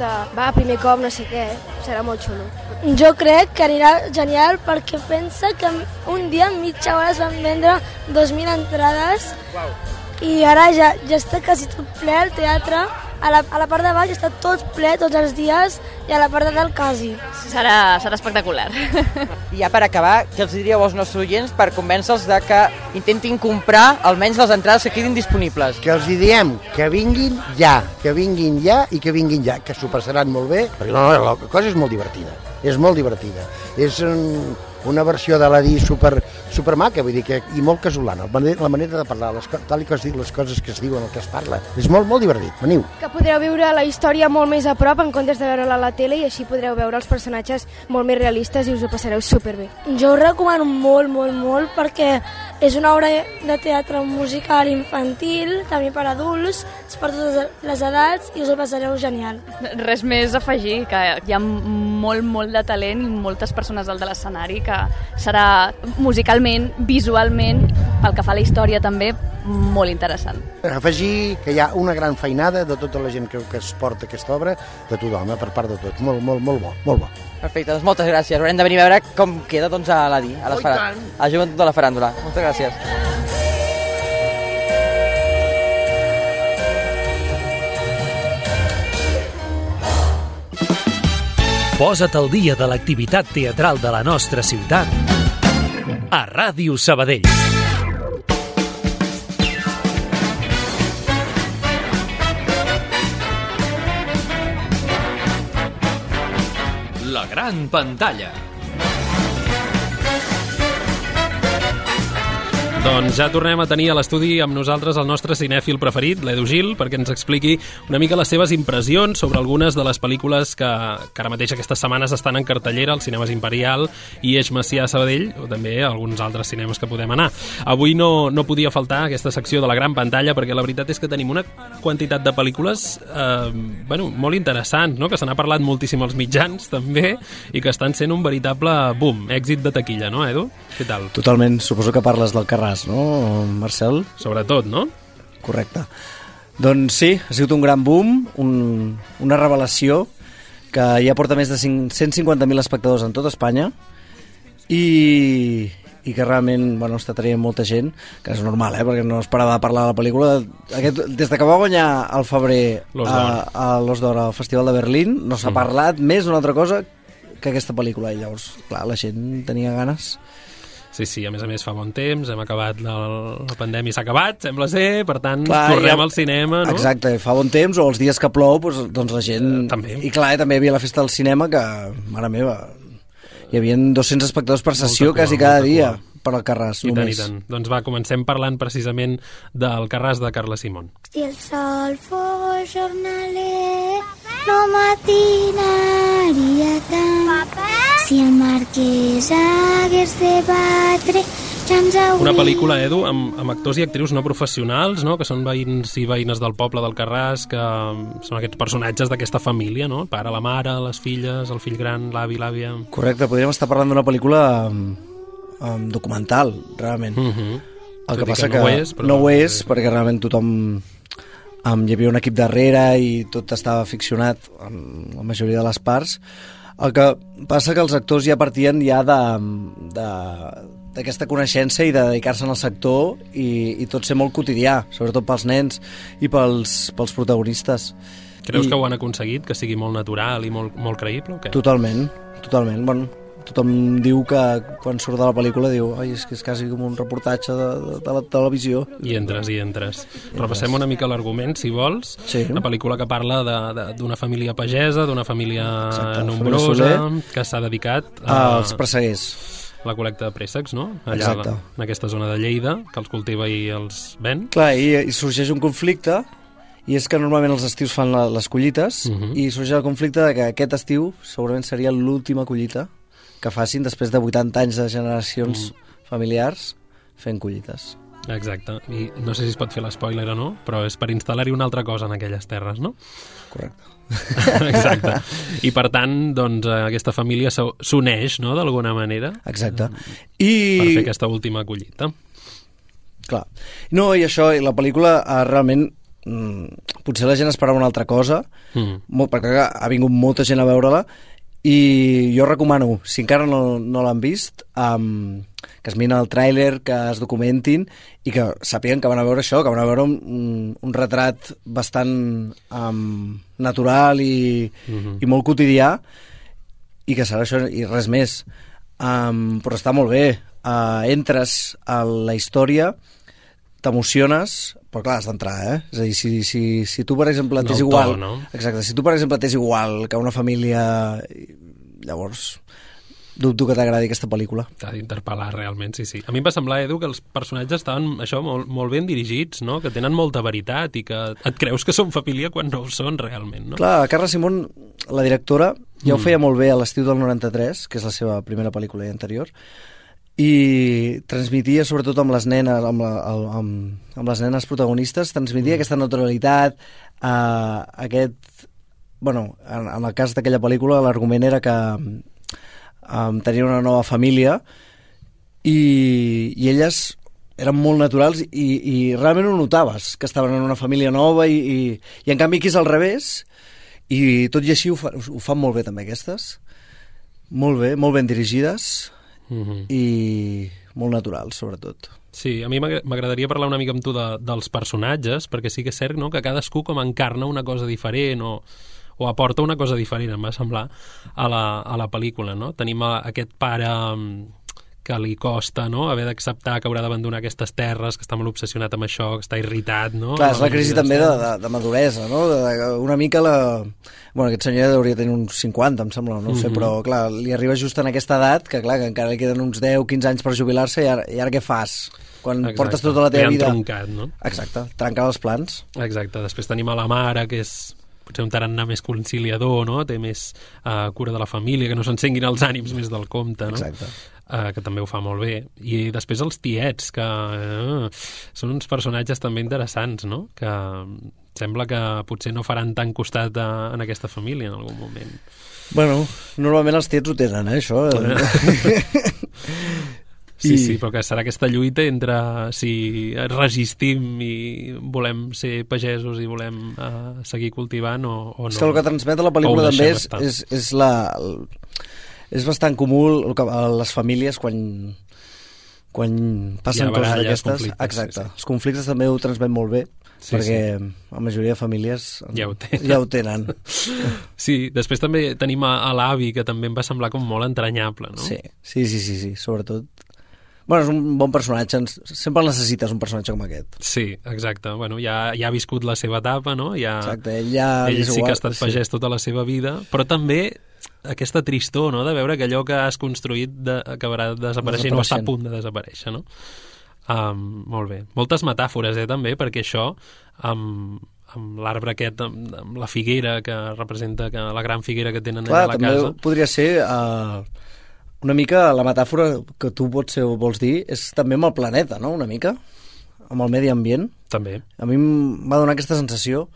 primer cop, no sé què, serà molt xulo. Jo crec que anirà genial perquè pensa que un dia en mitja hora es van vendre 2.000 entrades. Wow. I ara ja està quasi tot ple el teatre. A la part de baix està tot ple tots els dies i a la part de dalt quasi. Serà espectacular. I ja per acabar, què els diríeu als nostres oients per convèncer-los de que intentin comprar almenys les entrades que quedin disponibles? Que els diem que vinguin ja i que vinguin ja, que s'ho passaran molt bé, perquè la cosa és molt divertida. És molt divertida. És una versió de l'Adi super maca, vull dir, i molt casolana. La manera de parlar, tal com es diu les coses que es diuen, el que es parla. És molt divertit. Veniu. Que podreu viure la història molt més a prop en comptes de veure-la a la tele i així podreu veure els personatges molt més realistes i us ho passareu superbé. Jo ho recomano molt perquè és una obra de teatre musical infantil, també per adults, per totes les edats i us ho passareu genial. Res més a afegir, que hi ha molt de talent i moltes persones dalt de l'escenari que serà musicalment, visualment, pel que fa a la història també, molt interessant. Afegir que hi ha una gran feinada de tota la gent que es porta aquesta obra, de tothom, per part de tots. Molt bo. Perfecte, doncs moltes gràcies. Haurem de venir a veure com queda a l'Adi, a la joventut de la faràndula. Moltes gràcies. Posa't al dia de l'activitat teatral de la nostra ciutat A Ràdio Sabadell. La gran pantalla. Doncs ja tornem a tenir a l'estudi amb nosaltres el nostre cinèfil preferit, l'Edu Gil, perquè ens expliqui una mica les seves impressions sobre algunes de les pel·lícules que ara mateix aquestes setmanes estan en cartellera als cinemes Imperial i Eix Macià a Sabadell, o també a alguns altres cinemes que podem anar. Avui no podia faltar aquesta secció de la gran pantalla, perquè la veritat és que tenim una quantitat de pel·lícules molt interessants, no? Que se n'ha parlat moltíssim als mitjans, també, i que estan sent un veritable boom, èxit de taquilla, no, Edu? Què tal? Totalment, suposo que parles del Carràs, no, Marcel? Sobretot, no? Correcte. Doncs sí, ha sigut un gran boom, una revelació que ja porta més de 150.000 espectadors en tota Espanya i que realment està traient molta gent, que és normal, perquè no esperava parlar de la pel·lícula. Des de que va guanyar al febrer a l'Os d'Or al Festival de Berlín, no s'ha parlat més d'una altra cosa que aquesta pel·lícula, i llavors, clar, la gent tenia ganes. Sí, a més fa bon temps, hem acabat, la pandèmia s'ha acabat, sembla ser, per tant, tornem al cinema, no? Exacte, fa bon temps, o els dies que plou, doncs la gent... També. I clar, també hi havia la festa del cinema que, mare meva, hi havia 200 espectadors per sessió quasi cada dia per al Carràs, només. I tant. Doncs va, comencem parlant precisament del Carràs de Carla Simón. Si el sol fos jornaler, no matinaria tant. Si el marquès hagués de batre, ja ens hauria... Una pel·lícula, Edu, amb actors i actrius no professionals, no? Que són veïns i veïnes del poble del Carràs, que són aquests personatges d'aquesta família, no? El pare, la mare, les filles, el fill gran, l'avi, l'àvia... Correcte, podríem estar parlant d'una pel·lícula documental, realment. El que passa que no ho és, perquè realment tothom... hi havia un equip darrere i tot estava ficcionat en la majoria de les parts. El que passa que els actors ja partien d'aquesta coneixença i de dedicar-se al sector i tot ser molt quotidià, sobretot pels nens i pels protagonistes. Creus que ho han aconseguit, que sigui molt natural i molt creïble o què? Totalment. Bueno, tothom diu que quan surt de la pel·lícula diu és que és quasi com un reportatge de la televisió. I entres. Repassem una mica l'argument, si vols. Sí. Una pel·lícula que parla d'una família pagesa, d'una família nombrosa, que s'ha dedicat als presseguers. La col·lecta de préssecs, no? Allà, en aquesta zona de Lleida, que els cultiva i els ven. Clar, i sorgeix un conflicte, i és que normalment els estius fan les collites, i sorgeix el conflicte de que aquest estiu segurament seria l'última collita que facin després de 80 anys de generacions familiars fent collites. Exacte, i no sé si es pot fer l'espoiler o no, però és per instal·lar-hi una altra cosa en aquelles terres, no? Correcte. Exacte. I per tant, doncs, aquesta família s'uneix, no?, d'alguna manera. Exacte. Per fer aquesta última collita. Clar. No, i això, i la pel·lícula realment potser la gent esperava una altra cosa, perquè ha vingut molta gent a veure-la, i jo recomano, si encara no l'han vist, que es miren el tràiler, que es documentin i que sàpiguen que van a veure això, que van a veure un retrat bastant natural i molt quotidià, i que serà això i res més. Però està molt bé. Entres a la història, t'emociones, però clar, has d'entrar, És a dir, si tu, per exemple, t'és igual... no? Exacte, si tu, per exemple, t'és igual que una família... Llavors, dubto que t'agradi aquesta pel·lícula. T'ha d'interpel·lar realment, sí. A mi em va semblar, Edu, que els personatges estaven molt ben dirigits, no? Que tenen molta veritat i que et creus que són família quan no ho són realment, no? Clar, Carla Simón, la directora, ja ho feia molt bé a l'estiu del 93, que és la seva primera pel·lícula anterior, i transmetia, sobretot amb les nenes, amb les nenes protagonistes, transmetia aquesta naturalitat, aquest... Bueno, en el cas d'aquella pel·lícula l'argument era que tenien una nova família i elles eren molt naturals i realment ho notaves, que estaven en una família nova i en canvi aquí és al revés i tot i així ho fan molt bé també aquestes, molt ben dirigides i molt naturals sobretot. Sí, a mi m'agradaria parlar una mica amb tu dels personatges, perquè sí que és cert, no?, que cadascú com encarna una cosa diferent o aporta una cosa diferent, em va semblar, a la pel·lícula, no? Tenim aquest pare que li costa, no?, haver d'acceptar que haurà d'abandonar aquestes terres, que està molt obsessionat amb això, que està irritat, no? Clar, és la crisi també de maduresa, no? Una mica Bueno, aquest senyor hauria de tenir uns 50, em sembla, no ho sé, però clar, li arriba just en aquesta edat, que clar, que encara li queden uns 10-15 anys per jubilar-se, i ara què fas? Quan portes tota la teva vida... troncat, no? Exacte, trencar els plans. Exacte, després tenim a la mare, que és potser un tarannà més conciliador, no? Té més cura de la família, que no s'encenguin els ànims més del compte, no? Exacte. Que també ho fa molt bé. I després els tiets, que són uns personatges també interessants, no? Que sembla que potser no faran tant costat en aquesta família en algun moment. Bueno, normalment els tiets ho tenen, això. Sí, però que serà aquesta lluita entre si resistim i volem ser pagesos i volem seguir cultivant o no. És que el que transmet a la pel·lícula també és bastant comú a les famílies quan passen coses d'aquestes. Exacte. Els conflictes també ho transmet molt bé, perquè la majoria de famílies ja ho tenen. Sí, després també tenim a l'avi, que també em va semblar com molt entranyable, no? Sí, sobretot. Bueno, és un bon personatge, sempre necessites un personatge com aquest. Sí, exacte. Bueno, ja ha viscut la seva etapa, no? Exacte, ell sí que ha estat pagès tota la seva vida, però també aquesta tristor, no?, de veure que allò que has construït acabarà desapareixent o està a punt de desaparèixer, no? Molt bé. Moltes metàfores, també, perquè això, amb l'arbre aquest, amb la figuera que representa la gran figuera que tenen allà a la casa. També podria ser... una mica la metàfora que tu vols dir és també amb el planeta, no?, una mica, amb el medi ambient. També. A mi em va donar aquesta sensació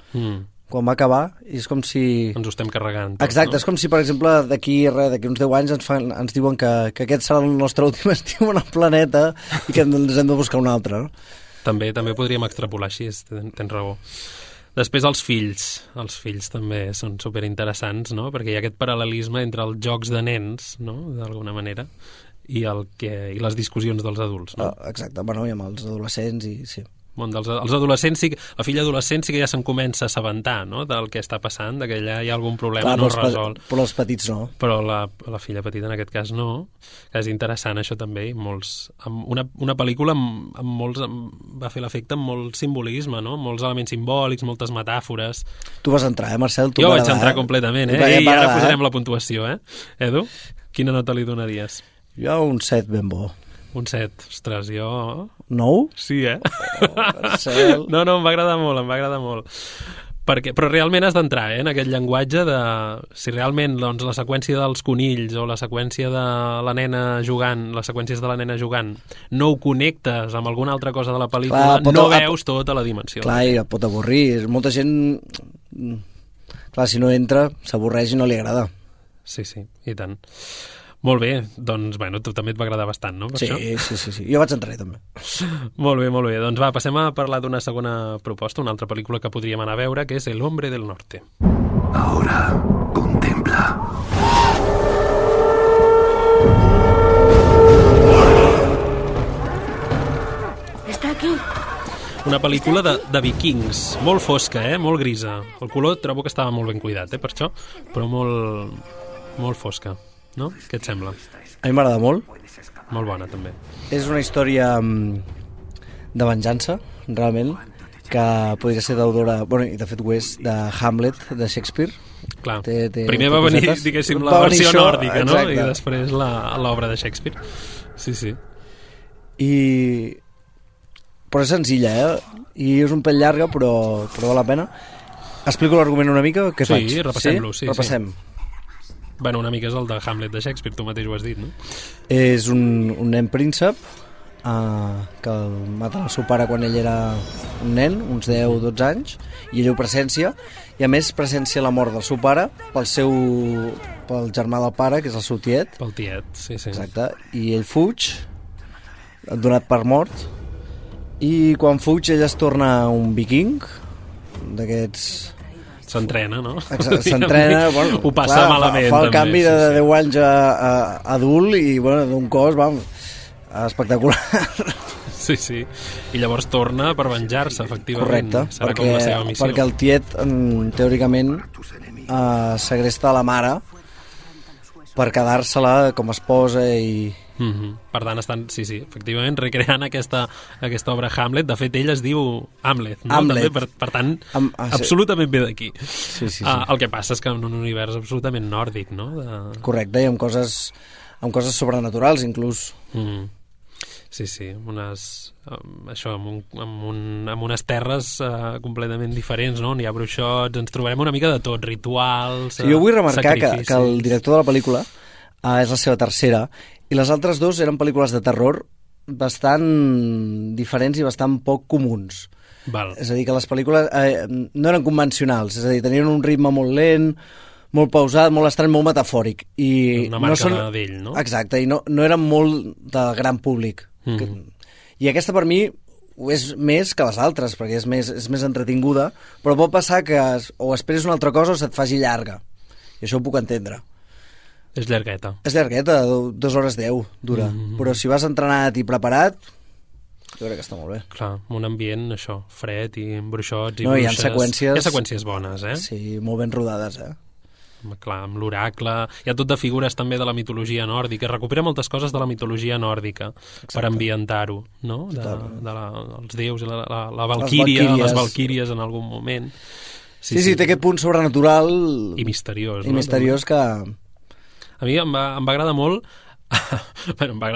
quan va acabar, i és com si... Ens ho estem carregant. Tot, exacte, no? És com si, per exemple, d'aquí uns 10 anys ens diuen que aquest serà el nostre últim estiu en el planeta i que ens hem de buscar un altre, no? També podríem extrapolar així, tens raó. Després els fills també són superinteressants, no?, perquè hi ha aquest paral·lelisme entre els jocs de nens, no?, d'alguna manera, i les discussions dels adults, no? Exacte, bueno, i amb els adolescents, i sí. Els adolescents, la filla adolescent sí que ja se'n comença a assabentar, no?, del que està passant, que allà hi ha algun problema no resolt. Però els petits no. Però la filla petita en aquest cas no, que és interessant això també, una pel·lícula va fer l'efecte amb molt simbolisme, no?, molts elements simbòlics, moltes metàfores. Tu vas entrar, Marcel? Jo vaig entrar completament, i ara posarem la puntuació, Edu, quina nota li donaries? Jo un 7 ben bo. Un 7, ostres, jo... 9? Sí, Marcel. No, em va agradar molt. Però realment has d'entrar en aquest llenguatge de... Si realment la seqüència dels conills o la seqüència de la nena jugant, les seqüències de la nena jugant, no ho connectes amb alguna altra cosa de la pel·lícula, veus tota la dimensió. Clar, i pot avorrir. Molta gent... Clar, si no entra, s'avorreix i no li agrada. Sí, i tant. Molt bé, doncs, tu també et va agradar bastant, no? Per sí. Jo vaig entrar també. Molt bé. Doncs passem a parlar d'una segona proposta, una altra pel·lícula que podríem anar a veure, que és El hombre del norte. Ahora, contempla. Està aquí. Una pel·lícula de vikings, molt fosca, molt grisa. El color trobo que estava molt ben cuidat, per això, però molt fosca. No? Què et sembla? A mi m'agrada molt. Molt bona, també. És una història de venjança, realment, que podria ser d'autora, i de fet ho és, de Hamlet, de Shakespeare. Clar, primer va venir, diguéssim, la versió nòrdica, no? I després l'obra de Shakespeare. Sí. Però és senzilla, I és un pèl llarga, però val la pena. Explico l'argument una mica? Què faig? Sí, repassem-lo. Repassem. Una mica és el de Hamlet de Shakespeare, tu mateix ho has dit, no? És un nen príncep que el mata el seu pare quan ell era un nen, uns 10 o 12 anys, i ell ho presencia, i a més presencia la mort del seu pare pel germà del pare, que és el seu tiet. Pel tiet, sí. Exacte, i ell fuig, donat per mort, i quan fuig ell es torna un viking, d'aquests... S'entrena, no? S'entrena, ho passa malament. Fa el canvi de 10 anys a adult i, d'un cos, espectacular. Sí. I llavors torna per venjar-se, efectivament. Correcte, serà com la seva missió. Perquè el tiet, teòricament, segresta la mare per quedar-se-la com a esposa i Per tant, estan, sí, efectivament, recreant aquesta obra Hamlet. De fet, ell es diu Hamlet, no? Hamlet. També, per tant, absolutament bé d'aquí. Sí. El que passa és que en un univers absolutament nòrdic, no? Correcte, i amb coses sobrenaturals, inclús. Sí, amb unes terres completament diferents, no? N'hi ha bruixots, ens trobarem una mica de tot, rituals, jo vull remarcar que el director de la pel·lícula és la seva tercera, i les altres dues eren pel·lícules de terror bastant diferents i bastant poc comuns. Val. És a dir, que les pel·lícules no eren convencionals, és a dir, tenien un ritme molt lent, molt pausat, molt estrany, molt metafòric. I una marca d'ell, no? Exacte, i no eren molt del gran públic. I aquesta per mi és més que les altres, perquè és més entretinguda, però pot passar que o esperis una altra cosa o se't faci llarga. I això ho puc entendre. És llargueta. És llargueta, 2 hores 10 dura. Però si vas entrenat i preparat, jo crec que està molt bé. Clar, un ambient, això, fred i amb bruixots i bruixes. Hi ha seqüències bones, Sí, molt ben rodades, Clar, amb l'oracle. Hi ha tot de figures també de la mitologia nòrdica. Recupera moltes coses de la mitologia nòrdica. Exacte. Per ambientar-ho, no? Els déus, la valquíria, les valquíries en algun moment. Sí, té aquest punt sobrenatural i misteriós. I misteriós que... A mi em va agradar molt em va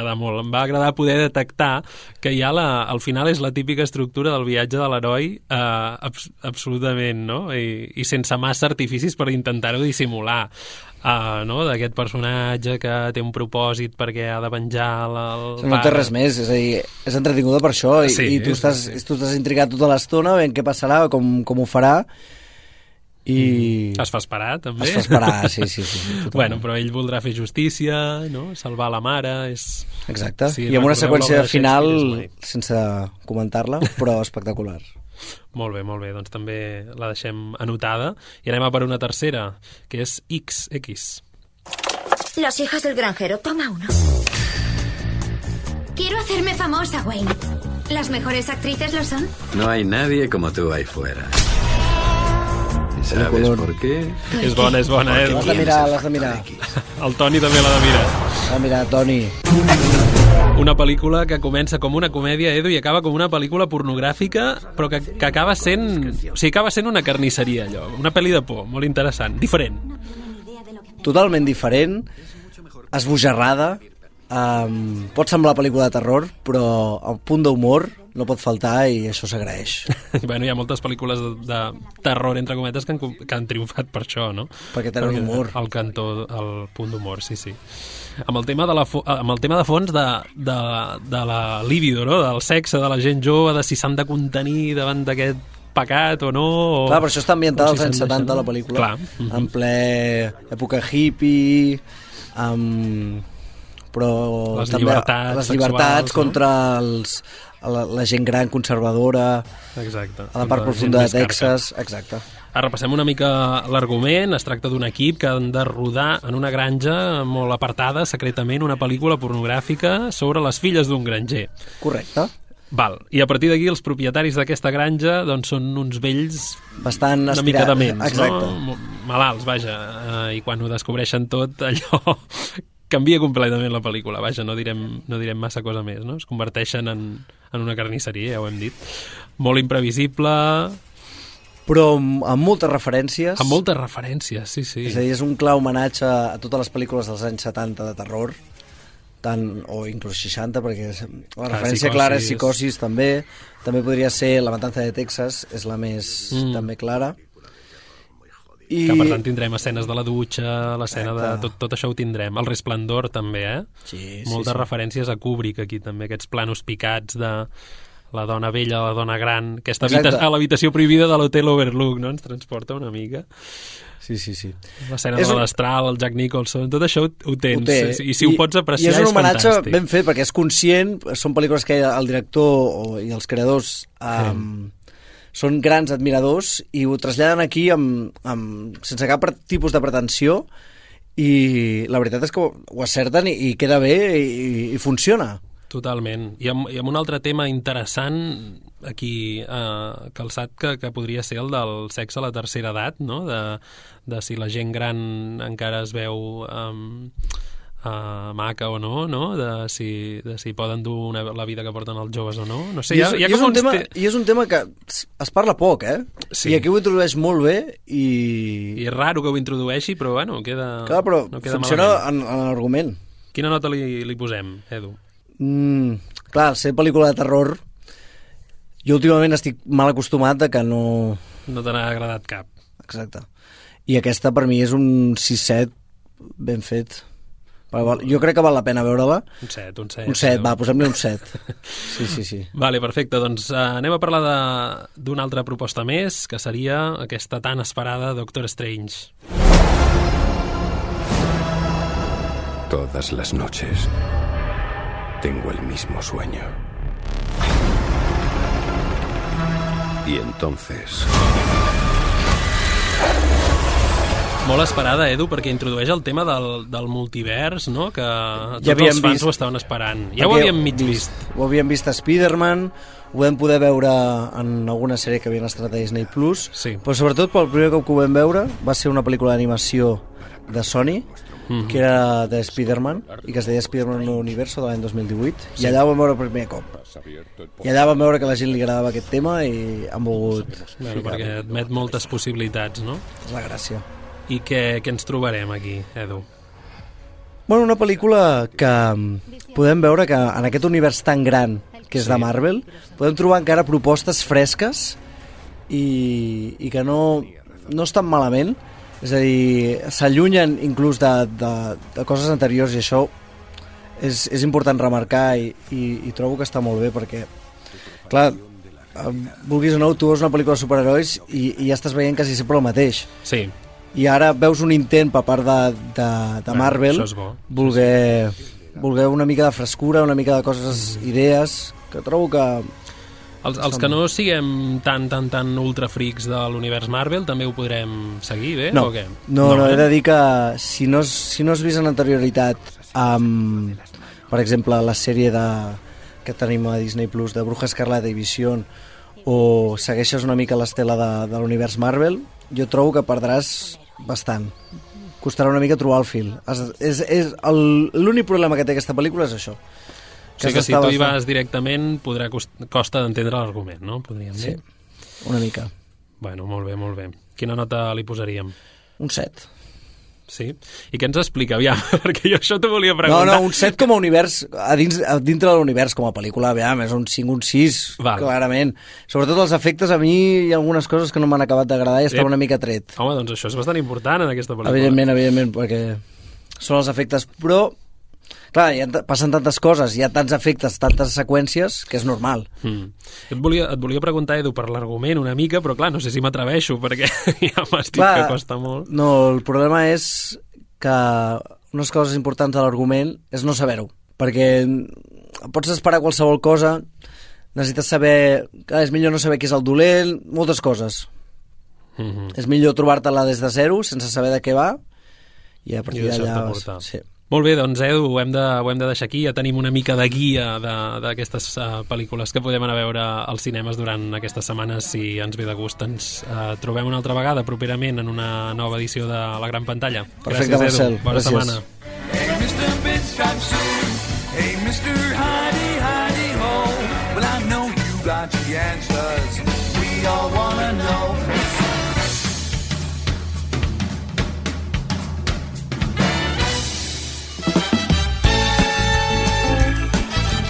agradar poder detectar que ja al final és la típica estructura del viatge de l'heroi absolutament, no? I sense massa artificis per intentar-ho dissimular, no? D'aquest personatge que té un propòsit perquè ha de venjar el no té res més, és a dir, és entretinguda per això i tu estàs intrigat tota l'estona veient què passarà, com ho farà. I... Es fa esperar, també. Es fa esperar, sí. Bueno, però ell voldrà fer justícia, no? Salvar la mare, és... Exacte, i amb una seqüència final, sense comentar-la, però espectacular. Molt bé, doncs també la deixem anotada. I anem a per una tercera, que és XX. Las hijas del granjero, toma uno. Quiero hacerme famosa, Wayne. ¿Las mejores actrices lo son? No hay nadie como tú ahí fuera. ¿Sabes por qué? És bona, L'has de mirar. El Toni també l'ha de mirar. L'ha de mirar, Toni. Una pel·lícula que comença com una comèdia, Edu, i acaba com una pel·lícula pornogràfica, però que acaba sent... O sigui, acaba sent una carnisseria, allò. Una pel·li de por, molt interessant, diferent. Totalment diferent, esbojarrada, pot semblar pel·lícula de terror, però el punt d'humor no pot faltar i això s'agraeix. Bueno, hi ha moltes pel·lícules de terror, entre cometes, que han triomfat per això, no? Perquè tenen humor. El punt d'humor, sí. Amb el tema de fons de la libido, no? Del sexe, de la gent jove, de si s'han de contenir davant d'aquest pecat o no. Clar, però això està ambientat als anys 70, la pel·lícula. Clar. En ple època hippie, però les també llibertats sexuals, contra la gent gran conservadora, exacte, a la part profunda de Texas. Exacte. Repassem una mica l'argument. Es tracta d'un equip que han de rodar en una granja molt apartada, secretament, una pel·lícula pornogràfica sobre les filles d'un granger. Correcte. Val. I a partir d'aquí els propietaris d'aquesta granja doncs, són uns vells bastant una mica dements, exacte. No? Malalts, vaja. I quan ho descobreixen tot, allò canvia completament la pel·lícula. Vaja, no direm massa cosa més, no? Es converteixen en una carnisseria, ja ho hem dit. Molt imprevisible, però amb moltes referències. Amb moltes referències, sí. És a dir, és un clar homenatge a totes les pel·lícules dels anys 70 de terror, o inclús 60, perquè la referència clara és Psicosis, també podria ser La matança de Texas, és la més també clara. Que per tant tindrem escenes de la dutxa, l'escena de... Tot això ho tindrem. El Resplendor també, Sí. Moltes referències a Kubrick aquí també, aquests planos picats de la dona vella, la dona gran, aquesta a l'habitació prohibida de l'Hotel Overlook, no? Ens transporta una mica. Sí. L'escena de l'Astral, el Jack Nicholson, tot això ho tens. I si ho pots apreciar és fantàstic. I és un homenatge ben fet, perquè és conscient, són pel·lícules que el director i els creadors... són grans admiradors i ho traslladen aquí sense cap tipus de pretensió i la veritat és que ho acerten i queda bé i funciona. Totalment. I amb un altre tema interessant aquí calçat que podria ser el del sexe a la tercera edat, no? De si la gent gran encara es veu maca o no, de si poden dur la vida que porten els joves o no. No sé, I és un tema que es parla poc, Sí. I aquí ho introdueix molt bé i és raro que ho introdueixi, però bueno, queda... Clar, però no queda funciona malament. en l'argument. Quina nota li posem, Edu? Clar, ser pel·lícula de terror, jo últimament estic mal acostumat de que no... No t'ha agradat cap. Exacte. I aquesta per mi és un 6-7 ben fet. Jo crec que val la pena veure-la. Un 7. Un 7, va, posem-li un 7. Sí. Vale, perfecte. Doncs anem a parlar d'una altra proposta més, que seria aquesta tan esperada Doctor Strange. Todas las noches tengo el mismo sueño. Y entonces... Molt esperada, Edu, perquè introdueix el tema del multivers, no? Que tots els fans ho estaven esperant. Ja ho havíem mig vist. Ho havíem vist a Spider-Man, ho vam poder veure en alguna sèrie que havien estrenat a Disney+, però sobretot pel primer cop que ho vam veure va ser una pel·lícula d'animació de Sony, que era de Spider-Man, i que es deia Spider-Man Universo de l'any 2018, i allà ho vam veure el primer cop. I allà vam veure que a la gent li agradava aquest tema i han volgut... Bueno, perquè admet moltes possibilitats, no? És la gràcia. I què ens trobarem aquí, Edu? Bueno, una pel·lícula que podem veure que en aquest univers tan gran que és de Marvel, podem trobar encara propostes fresques i que no estan malament, és a dir, s'allunyen inclús de coses anteriors, i això és important remarcar i trobo que està molt bé perquè, clar, vulguis o no, tu veus una pel·lícula de superherois i ja estàs veient quasi sempre el mateix. Sí. I ara veus un intent per part de Marvel voler una mica de frescura, una mica de coses, idees, que trobo que... Els que no siguem tan ultrafrics de l'univers Marvel també ho podrem seguir bé? No, o què? No, he de dir que si no has vist en anterioritat per exemple la sèrie que tenim a Disney Plus de Bruja Escarlata i Vision, o segueixes una mica l'estela de l'univers Marvel, jo trobo que perdràs bastant. Costarà una mica trobar el fil. L'únic problema que té aquesta pel·lícula és això. O sigui que si tu hi vas directament costa d'entendre l'argument, no? Podríem dir. Sí, una mica. Bueno, molt bé. Quina nota li posaríem? Un 7. Sí? I què ens explica? Aviam, perquè jo això t'ho volia preguntar. No, un 7 com a univers, dintre de l'univers com a pel·lícula, aviam, és un 5, un 6, clarament. Sobretot els efectes, a mi hi ha algunes coses que no m'han acabat d'agradar i estava una mica tret. Home, doncs això és bastant important en aquesta pel·lícula. Evidentment, perquè són els efectes, però... Clar, passen tantes coses, hi ha tants efectes, tantes seqüències, que és normal. Et volia preguntar, Edu, per l'argument una mica, però clar, no sé si m'atreveixo, perquè ja m'has dit que costa molt. No, el problema és que unes coses importants de l'argument és no saber-ho, perquè pots esperar qualsevol cosa, necessites saber... Clar, és millor no saber qui és el dolent, moltes coses. És millor trobar-te-la des de zero, sense saber de què va, i a partir d'allà... Sí. Molt bé, doncs Edu, ho hem de deixar aquí. Ja tenim una mica de guia d'aquestes pel·lícules que podem anar a veure als cinemes durant aquestes setmanes. Si ens ve de gust, ens trobem una altra vegada properament en una nova edició de La Gran Pantalla. Perfecte, gràcies, Edu. Bona setmana. Hey, Mr. Pinstripe Suit. Hey, Mr. Hidey, Hidey, Ho. Well, I know you got the answers. We all wanna know.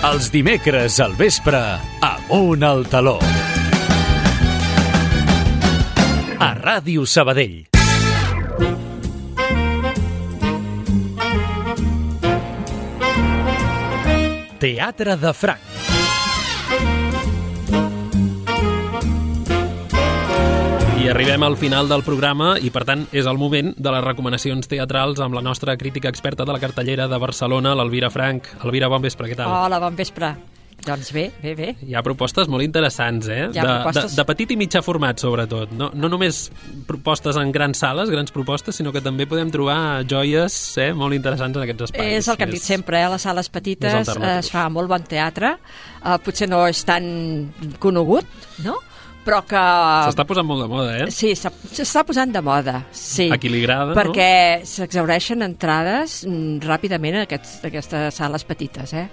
Els dimecres al vespre, Amunt al Taló. A Ràdio Sabadell. Teatre de Franc. I arribem al final del programa i, per tant, és el moment de les recomanacions teatrals amb la nostra crítica experta de la cartellera de Barcelona, l'Elvira Frank. Elvira, bon vespre, què tal? Hola, bon vespre. Doncs bé. Hi ha propostes molt interessants, de petit i mitjà format, sobretot. No només propostes en grans sales, grans propostes, sinó que també podem trobar joies molt interessants en aquests espais. És el que hem dit sempre, les sales petites es fa molt bon teatre, potser no és tan conegut, no? però que... S'està posant molt de moda, eh? Sí, s'està posant de moda, sí. A qui li agrada, perquè s'exhaureixen entrades ràpidament a aquestes sales petites, eh?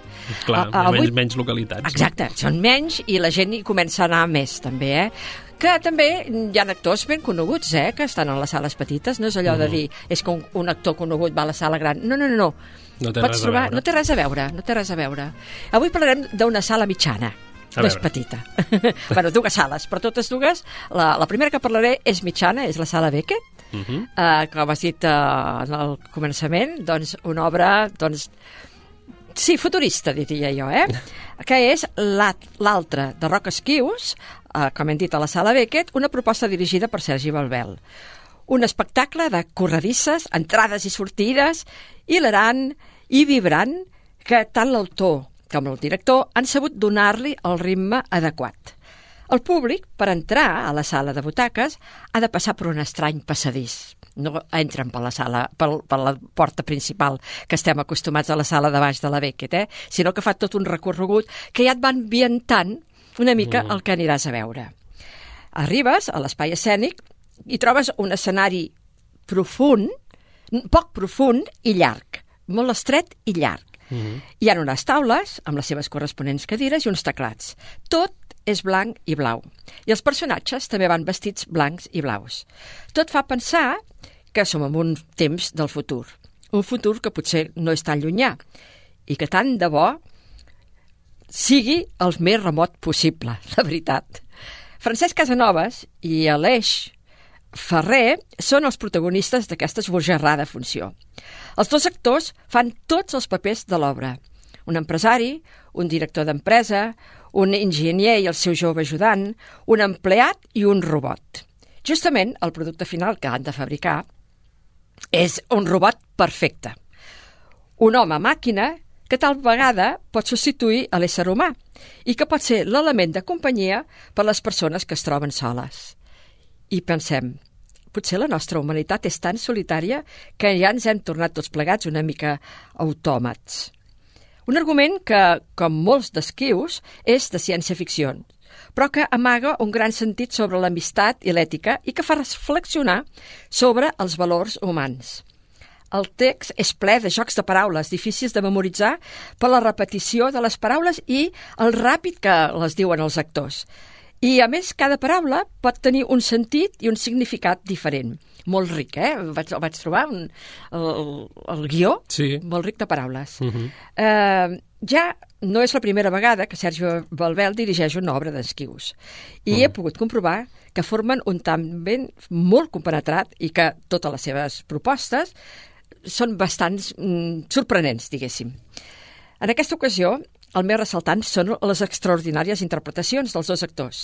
Clar, menys localitats. Exacte, són menys i la gent hi comença a anar més, també, eh? Que també hi ha actors ben coneguts, que estan en les sales petites. No és allò de dir, és que un actor conegut va a la sala gran. No. No té res a veure. No té res a veure. Avui parlarem d'una sala mitjana. No és petita. Bueno, dues sales, però totes dues. La primera que parlaré és mitjana, és la sala Beckett, com has dit al començament, doncs una obra, sí, futurista, diria jo, que és l'altra de Roc Esquius, com hem dit a la sala Beckett, una proposta dirigida per Sergi Balbel. Un espectacle de corredisses, entrades i sortides, hilarant i vibrant, que tant l'autor com el director han sabut donar-li el ritme adequat. El públic, per entrar a la sala de butaques, ha de passar per un estrany passadís. No entren per la porta principal, que estem acostumats a la sala de baix de la Beckett, sinó que fa tot un recorregut que ja et va ambientant una mica el que aniràs a veure. Arribes a l'espai escènic i trobes un escenari profund, poc profund i llarg, molt estret i llarg. Hi ha unes taules amb les seves corresponents cadires i uns teclats. Tot és blanc i blau. I els personatges també van vestits blancs i blaus. Tot fa pensar que som en un temps del futur. Un futur que potser no és tan llunyà i que tant de bo sigui el més remot possible, la veritat. Francesc Casanovas i Aleix Ferrer són els protagonistes d'aquesta esbojarrada funció. Els dos actors fan tots els papers de l'obra. Un empresari, un director d'empresa, un enginyer i el seu jove ajudant, un empleat i un robot. Justament el producte final que han de fabricar és un robot perfecte. Un home màquina que tal vegada pot substituir a l'ésser humà i que pot ser l'element de companyia per a les persones que es troben soles. I pensem, potser la nostra humanitat és tan solitària que ja ens hem tornat tots plegats una mica autòmats. Un argument que, com molts d'Esquius, és de ciència-ficció, però que amaga un gran sentit sobre l'amistat i l'ètica i que fa reflexionar sobre els valors humans. El text és ple de jocs de paraules difícils de memoritzar per la repetició de les paraules i el ràpid que les diuen els actors. I, a més, cada paraula pot tenir un sentit i un significat diferent. Molt ric, vaig trobar el guió, sí. Molt ric de paraules. Ja no és la primera vegada que Sergi Balbel dirigeix una obra d'Esquius. I he pogut comprovar que formen un tàndem molt compenetrat i que totes les seves propostes són bastant sorprenents, diguéssim. En aquesta ocasió, el més ressaltant són les extraordinàries interpretacions dels dos actors,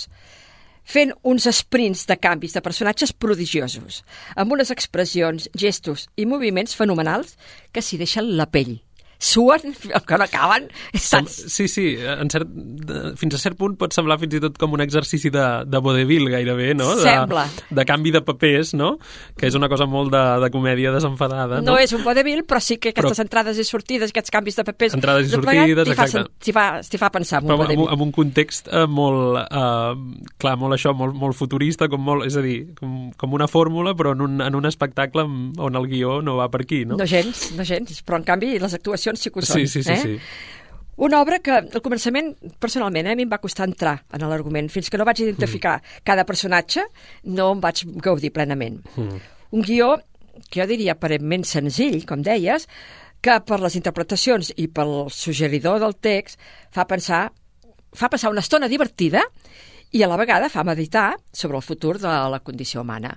fent uns sprints de canvis de personatges prodigiosos, amb unes expressions, gestos i moviments fenomenals que s'hi deixen la pell. Suen, que no acaben. Sí, fins a cert punt pot semblar fins i tot com un exercici de vodevil gairebé, no? Sembla. De canvi de papers, no? Que és una cosa molt de comèdia desenfadada, no? No és un vodevil, però sí que aquestes entrades i sortides, aquests canvis de papers... Entrades i sortides, exacte. T'hi fa pensar en un vodevil. Amb un context molt futurista, és a dir, com una fórmula, però en un espectacle on el guió no va per aquí, no? No gens, però en canvi les actuacions sí que ho són. Sí. Una obra que al començament, personalment, a mi em va costar entrar en l'argument. Fins que no vaig identificar cada personatge, no em vaig gaudir plenament. Un guió que jo diria aparentment senzill, com deies, que per les interpretacions i pel suggeridor del text fa passar una estona divertida i a la vegada fa meditar sobre el futur de la condició humana.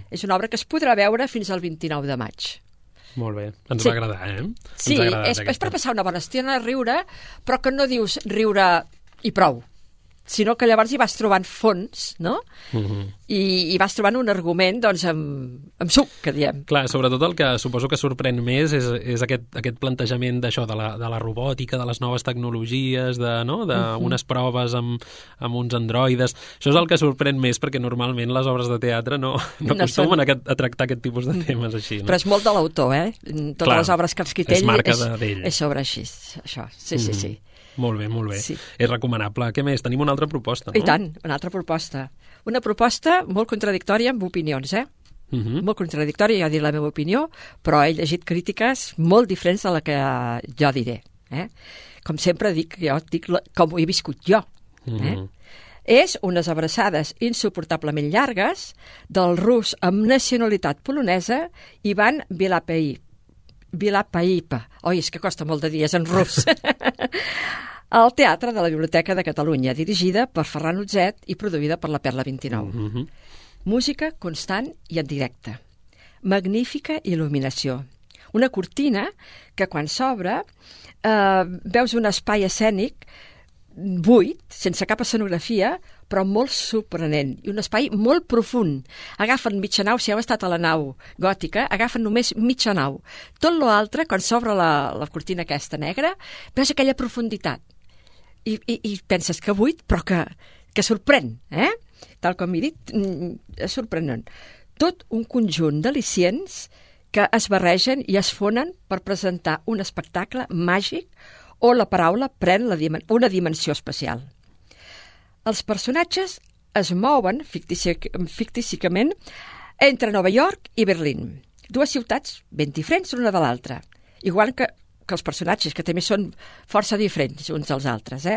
És una obra que es podrà veure fins al 29 de maig. Molt bé, ens va agradar, Sí, és per passar una bona estona a riure, però que no dius riure i prou, sinó que llavors hi vas trobant fons, no? I vas trobant un argument, doncs, amb suc, que diem. Clar, sobretot el que suposo que sorprèn més és aquest plantejament d'això, de la robòtica, de les noves tecnologies, d'unes proves amb uns androides. Això és el que sorprèn més, perquè normalment les obres de teatre no acostumen a tractar aquest tipus de temes així. No? Però és molt de l'autor, Totes les obres que ha escrit ell és sobre així, això. Sí. Molt bé, molt bé. Sí. És recomanable. Què més? Tenim una altra proposta, no? I tant, una altra proposta. Una proposta molt contradictòria amb opinions, molt contradictòria, jo diré la meva opinió, però he llegit crítiques molt diferents de la que jo diré. Com sempre dic, jo dic com ho he viscut jo. És unes abraçades insuportablement llargues del rus amb nacionalitat polonesa Ivan Vilapaipa. Oi, és que costa molt de dies en rus. Al Teatre de la Biblioteca de Catalunya, dirigida per Ferran Utzet i produïda per la Perla 29. Música constant i en directe. Magnífica il·luminació. Una cortina que quan s'obre veus un espai escènic buit, sense cap escenografia, però molt sorprenent, i un espai molt profund. Agafen mitja nau, si heu estat a la nau gòtica, agafen només mitja nau. Tot l'altre, quan s'obre la cortina aquesta negra, veus aquella profunditat. I penses que buit, però que sorprèn, Tal com he dit, és sorprenent. Tot un conjunt d'al·licients que es barregen i es fonen per presentar un espectacle màgic o la paraula pren una dimensió especial. Els personatges es mouen fictíssimament entre Nova York i Berlín, dues ciutats ben diferents l'una de l'altra, igual que els personatges, que també són força diferents uns dels altres.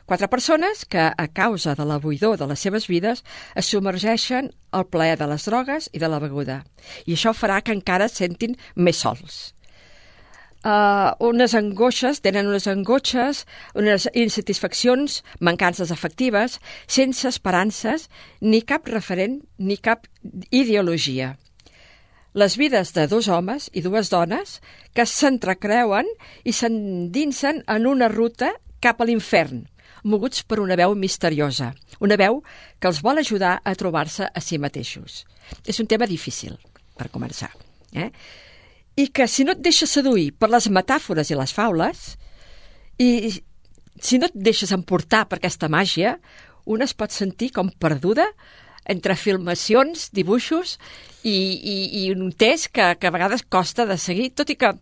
4 persones que, a causa de la buidor de les seves vides, es submergeixen al plaer de les drogues i de la beguda, i això farà que encara es sentin més sols. Unes angoixes, unes insatisfaccions, mancances afectives, sense esperances, ni cap referent, ni cap ideologia. Les vides de 2 homes i 2 dones que s'entrecreuen i s'endinsen en una ruta cap a l'infern, moguts per una veu misteriosa, una veu que els vol ajudar a trobar-se a si mateixos. És un tema difícil, per començar. I que si no et deixes seduir per les metàfores i les faules, i si no et deixes emportar per aquesta màgia, una es pot sentir com perduda entre filmacions, dibuixos i un text que a vegades costa de seguir, tot i que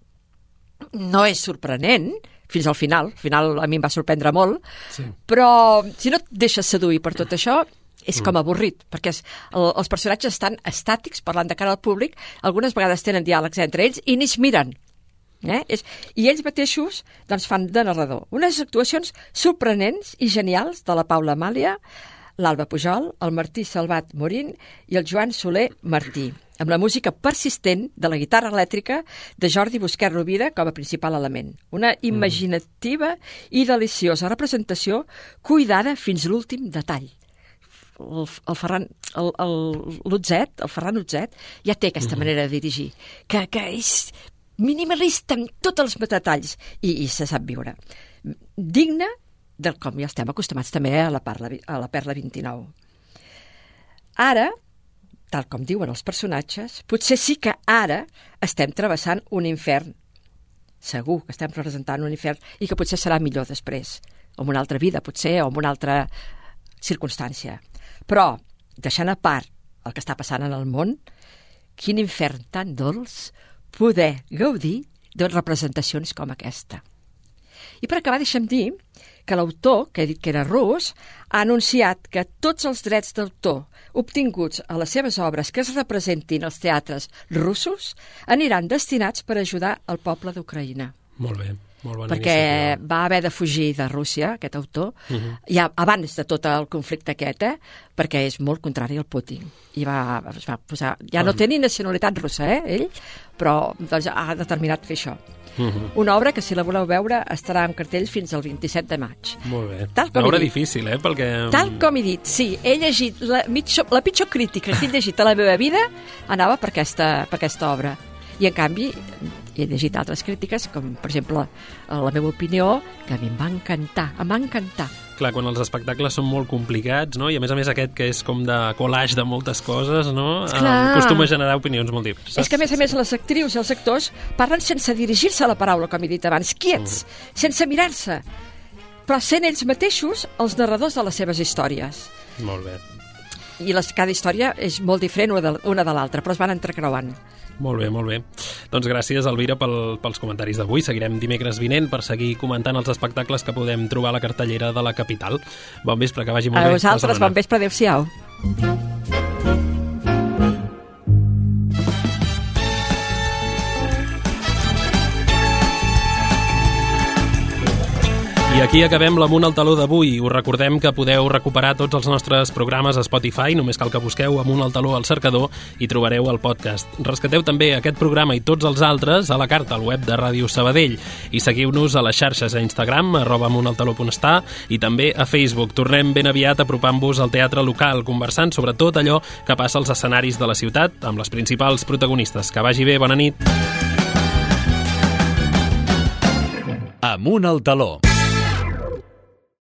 no és sorprenent, fins al final a mi em va sorprendre molt, però si no et deixes seduir per tot això, és com avorrit, perquè els personatges estan estàtics, parlant de cara al públic, algunes vegades tenen diàlegs entre ells i ni es miren. I ells mateixos fan de narrador. Unes actuacions sorprenents i genials de la Paula Amàlia, l'Alba Pujol, el Martí Salvat Morín i el Joan Soler Martí, amb la música persistent de la guitarra elèctrica de Jordi Busquet Rovira com a principal element. Una imaginativa i deliciosa representació cuidada fins l'últim detall. El Ferran Utzet ja té aquesta manera de dirigir, que és minimalista en tots els detalls i se sap viure. Digne del com ja estem acostumats també a la Perla 29. Ara, tal com diuen els personatges, potser sí que ara estem travessant un infern. Segur que estem representant un infern i que potser serà millor després, o en una altra vida, potser, o en una altra circumstància. Però, deixant a part el que està passant en el món, quin infern tan dolç poder gaudir de representacions com aquesta. I per acabar, deixa'm dir que l'autor, que he dit que era rus, ha anunciat que tots els drets d'autor obtinguts a les seves obres que es representin als teatres russos aniran destinats per ajudar el poble d'Ucraïna. Molt bé. Perquè va haver de fugir de Rússia, aquest autor, ja abans de tot el conflicte aquest, perquè és molt contrari al Putin. I es va posar... Ja no té ni nacionalitat russa, ell, però ha determinat fer això. Una obra que, si la voleu veure, estarà en cartell fins al 27 de maig. Molt bé. Una obra difícil, perquè... Tal com he dit, sí. He llegit la pitjor crítica que he llegit a la meva vida anava per aquesta obra. I, en canvi, he llegit altres crítiques, com, per exemple, la meva opinió, que a mi em va encantar. Clar, quan els espectacles són molt complicats, no? I a més aquest que és com de collage de moltes coses, no? Acostuma a generar opinions molt diverses. És que, a més, les actrius i els actors parlen sense dirigir-se a la paraula, com he dit abans, quiets, sense mirar-se, però sent ells mateixos els narradors de les seves històries. Molt bé. I cada història és molt diferent una de l'altra, però es van entrecreuant. Molt bé, molt bé. Doncs gràcies, Elvira, pels comentaris d'avui. Seguirem dimecres vinent per seguir comentant els espectacles que podem trobar a la cartellera de la capital. Bon vespre, que vagi molt bé. A vosaltres, bon vespre, adéu-siau. I aquí acabem l'Amunt al Taló d'avui. Us recordem que podeu recuperar tots els nostres programes a Spotify, només cal que busqueu Amunt al Taló al cercador i trobareu el podcast. Rescateu també aquest programa i tots els altres a la carta al web de Ràdio Sabadell i seguiu-nos a les xarxes a Instagram, @amuntaltaló.està i també a Facebook. Tornem ben aviat apropant-vos al teatre local, conversant sobre tot allò que passa als escenaris de la ciutat amb les principals protagonistes. Que vagi bé, bona nit. Amunt al Taló.